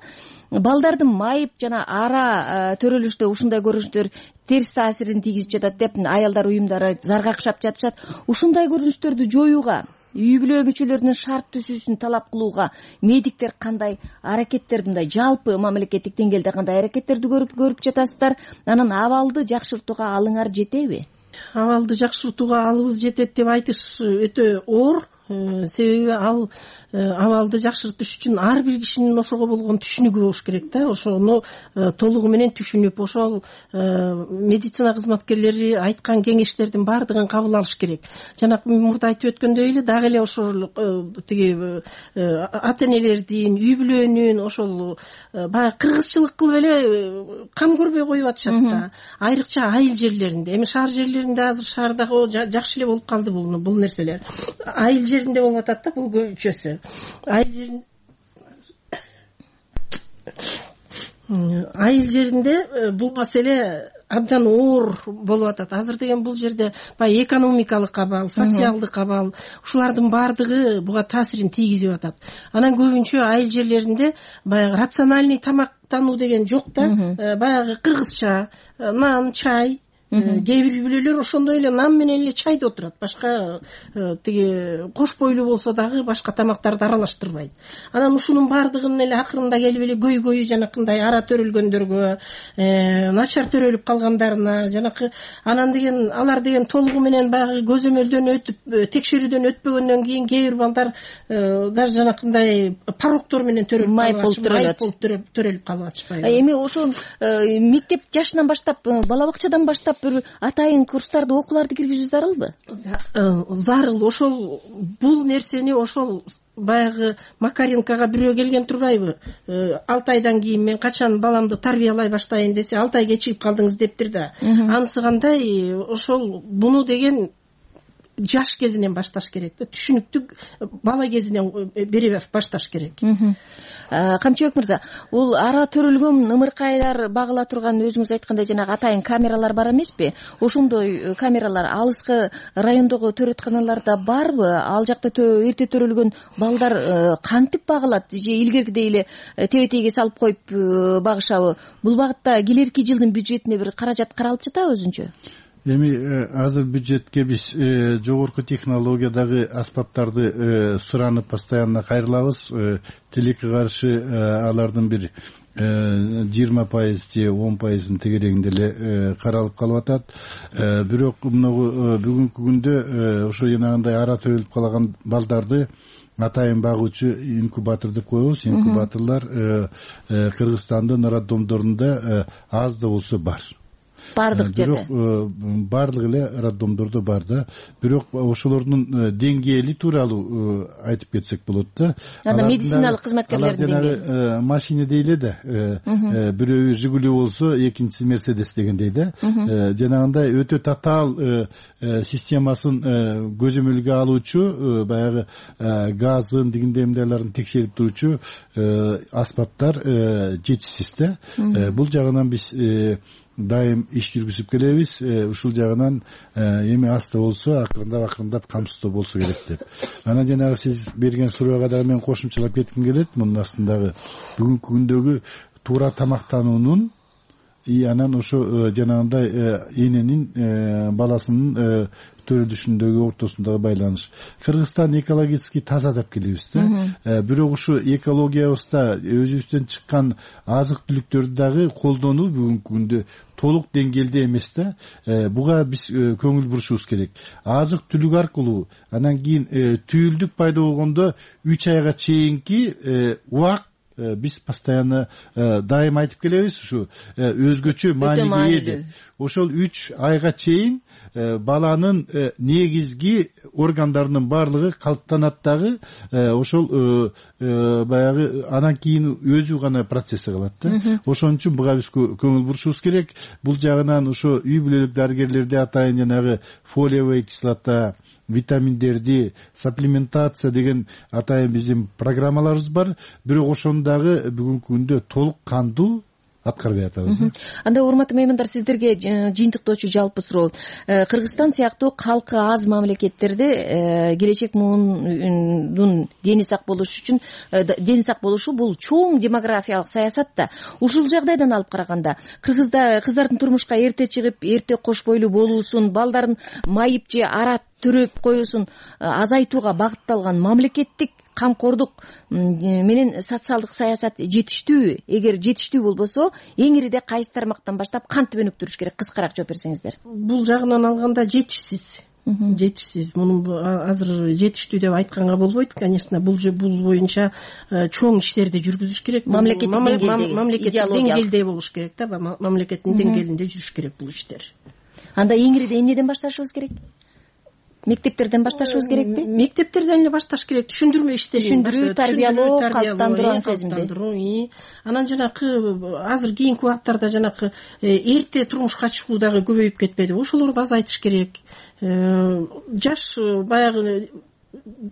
Балдардын майып жана ара төрөлүштө ушундай көрүнүштөр терс таасирин тийгизип жатат деп аялдар уюмдары заргакшап жатышат. Ушундай көрүнүштөрдү жоюуга, үй бүлө мүчөлөрүнүн шарт түзүүсүн талап кылууга медиктер кандай аракеттерди, мындай жалпы мамлекеттик деңгээлде кандай аракеттерди көрүп көрүп жатасыздар? Анан абалды жакшыртууга алыңар жетеби? Абалды жакшыртууга алыбыз жетет деп айтыш өтө оор. Себеби ал абалды жакшыртыш үчүн ар бир кишинин ошого болгон түшүнүгү болуш керек да. Ошону толугу менен түшүнүп, ошол медицина кызматкерлери айткан кеңештердин баардыгын кабыл алыш керек. Жана мурда айтып өткөндөй эле дагы эле ошол тиги ата энелердин, үй бүлөнүн ошол баягы кыргызчылык кылып эле кам көрбөй коюп атышат да. Айрыкча айыл жерлеринде, эми шаар жерлеринде азыр шаардагы жакшы эле болуп калды бул бул нерселер. Айыл жеринде болуп атат да бул көчөсү. Айыл жеринде айыл жеринде бул маселе абдан оор болуп атат. Азыр деген бул жерде баягы экономикалык абал, социалдык абал, ушулардын баардыгы буга таасирин тийгизип атат. Анан көбүнчө айыл жерлеринде баягы рациональный тамактануу деген жок да. Баягы кыргызча нан, чай, кээ бир бүлөлөр ошондой эле нан менен эле чайда отурат. Башка тиги кош бойлуу болсо дагы башка тамактарды аралаштырбайт. Анан ушунун баардыгын эле акырында келип эле көйгөйү жанакындай ара төрөлгөндөргө, начар төрөлүп калгандарына, жанакы анан деген алар деген толугу менен баягы көзөмөлдөн өтүп, текшерүүдөн өтпөгөндөн кийин кээ бир балдар даже жанакындай пароктор менен төрөлүп калып төрөлүп калып атышпайбы? Эми ошол мектеп жашынан баштап, бала бакчадан баштап бир атайын курстарды, окууларды киргизүү зарылбы? Зарыл. Ошол бул нерсени ошол баягы Макаренкага бирөө келген турбайбы? алты айдан кийин мен качан баламды тарбиялай баштайын десе, алты ай кечигип калдыңыз дептир да. Анысы кандай? Ошол буну деген жаш кезинен башташ керек да, түшүнүктүү бала кезинен бере башташ керек. Камчыбек мырза, бул ара төрөлгөн ымыркайлар багыла турган өзүңүз айткандай жанагы атайын камералар бар эмеспи? Ошондой камералар алыскы райондогу төрөтканаларда барбы? Ал жакта эрте төрөлгөн балдар кантип багылат? Же илгеркидей эле тебетейге салып коюп багышабы? Бул багытта келерки жылдын бюджетине бир каражат каралып жатабы өзүнчө? Эми азыр бюджетке биз жогорку технологиядагы аспаптарды суранып постоянно кайрылабыз. Тилекке каршы алардын бир жыйырма пайыз же он пайызын тегерегинде эле каралып калып атат. Бирок мынагу бүгүнкү күндө ошо жанагындай ара төрөлүп калган балдарды атайын багуучу инкубатор деп коебуз. Инкубаторлор Кыргызстандын роддомдорунда аз да болсо бар. Бардык жерде. Бирок бардык эле роддомдордо бар да. Бирок ошолордун деңгээли тууралуу айтып кетсек болот да. Анда медициналык кызматкерлердин деңгээли. Жанагы машина дейле да. Бирөө Жигули болсо, экинчиси Мерседес дегендей да. Жанагындай өтө татаал системасын көзөмөлгө алуучу, баягы газын, дегендей мындайларын текшерип туручу аспаптар жетишсиз да. Бул жагынан биз дайым иш жүргүзүп келебиз. Ушул жагынан эми аста болсо акырындап акырындап камсыздоо болсо керек деп. Анан жанагы сиз берген суроого дагы мен кошумчалап кетким келет. Мунун астындагы бүгүнкү күндөгү туура тамактануунун и анан ошо жанагындай эненин баласынын төрөлүшүндөгү ортосундагы байланыш. Кыргызстан экологически таза деп келебиз да. Бирок ушу экологиябызда өзүбүздөн чыккан азык түлүктөрдү дагы колдонуу бүгүнкү күндө толук деңгээлде эмес да. Буга биз көңүл бурушубуз керек. Азык түлүк аркылуу анан кийин түйүлдүк пайда болгондо үч айга чейинки убак биз постоянно дайым айтып келебиз, ушу өзгөчө мааниге ээ деп. Ошол үч айга чейин баланын негизги органдарынын баардыгы калыптанат дагы, ошол баягы анан кийин өзү гана процесси калат да. Ошон үчүн буга биз көңүл бурушубуз керек. Бул жагынан ошо үй бүлөлүк дарыгерлерде атайын жанагы фолиевая кислота, витаминдерди, саплементация деген атайын биздин программаларыбыз бар. Бирок ошону дагы бүгүнкү күндө толук кандуу аткарбай атабыз. Анда урматтуу меймандар, сиздерге жыйынтыктоочу жалпы суроо. Кыргызстан сыяктуу калкы аз мамлекеттерде келечек муунун дени сак болуш үчүн дени сак болушу бул чоң демографиялык саясат да. Ушул жагдайдан алып караганда кыргызда кыздардын турмушка эрте чыгып, эрте кош бойлуу болуусун, балдарын майып же ара төрөп коюусун азайтууга багытталган мамлекеттик камкордук менен социалдык саясат жетиштүүбү? Эгер жетиштүү болбосо, эң ириде кайсы тармактан баштап кантип өнүктүрүш керек? Кыскараак жооп берсеңиздер. Бул жагынан алганда жетишсиз. Жетишсиз. Муну азыр жетиштүү деп айтканга болбойт. Конечно, бул бул боюнча чоң иштерди жүргүзүш керек. Мамлекеттик деңгээлде болуш керек да, мамлекеттин деңгээлинде жүрүш керек бул иштер. Анда эң ириде эмнеден башташыбыз керек? Мектептерден башташыбыз керекпи? Мектептерден эле башташ керек. Түшүндүрмө иштерин, түшүндүрүү, тарбиялоо, калыптандыруу сезимди. Анан жанакы азыр кийинки убактарда жанакы эрте турмушка чыгуу дагы көбөйүп кетпеди. Ошолорду азайтыш керек. Жаш баягы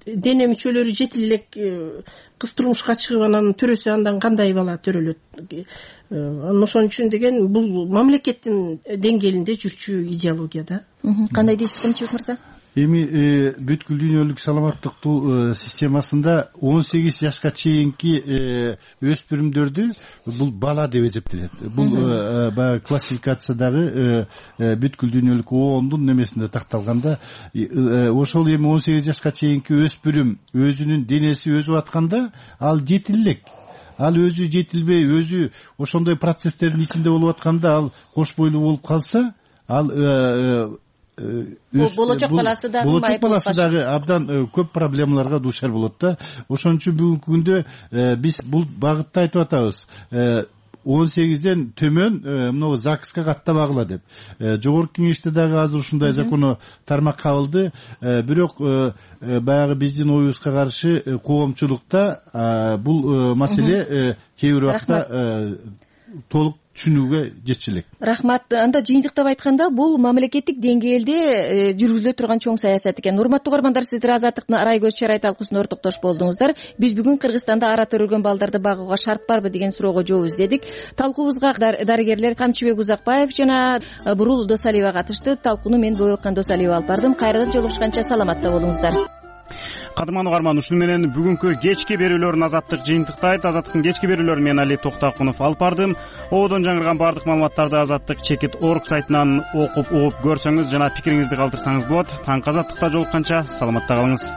дене мүчөлөрү жетил элек кыз турмушка чыгып анан төрөсө андан кандай бала төрөлөт? Ошон үчүн деген бул мамлекеттин деңгээлинде жүрчү идеология да. Кандай дейсиз, Камчыбек мырза? Эми бүткүл дүйнөлүк саламаттыктуу системасында он сегиз жашка чейинки өспүрүмдөрдү бул бала деп эсептелет. Бул баягы классификациядагы бүткүл дүйнөлүк оондун немесинде такталганда, ошол эми он сегиз жашка чейинки өспүрүм өзүнүн денеси өсүп атканда ал жетил элек. Ал өзү жетилбей, өзү ошондой процесстердин ичинде болуп атканда, ал кош бойлуу болуп калса, ал болочок баласы дагы болочок баласы дагы абдан көп проблемаларга дуушар болот да. Ошон үчүн бүгүнкү күндө биз бул багытта айтып атабыз. он сегизден төмөн мына ЗАГСка каттабагыла деп. Жогорку кеңеште дагы азыр ушундай закону тармак кабылды. Бирок баягы биздин оюбузга каршы коомчулукта бул маселе кээ бир убакта толук түшүнүүгө жетчү элек. Рахмат. Анда жыйынтыктап айтканда бул мамлекеттик деңгээлде жүргүзүлө турган чоң саясат экен. Урматтуу угармандар, сиздер Азаттыктын Арай көз чарай талкуусуна ортоктош болдуңуздар. Биз бүгүн Кыргызстанда ара төрөлгөн балдарды багууга шарт барбы деген суроого жооп издедик. Талкуубузга дарыгерлер Камчыбек Узакбаев жана Бурул Досалиева катышты. Талкууну мен Бойлуккан Досалиева алып бардым. Кайрадан жолугушканча саламатта болуңуздар. Кадырман угарман, ушуну менен бүгүнкү кечки берүүлөрүн Азаттык жыйынтыктайт. Азаттыктын кечки берүүлөрүн мен Али Токтакунов алып бардым. Ободон жаңырган бардык маалыматтарды Азаттык чекит точка орг сайтынан окуп угуп көрсөңүз жана пикириңизди калтырсаңыз болот. Таңкы Азаттыкта жолукканча саламатта калыңыз.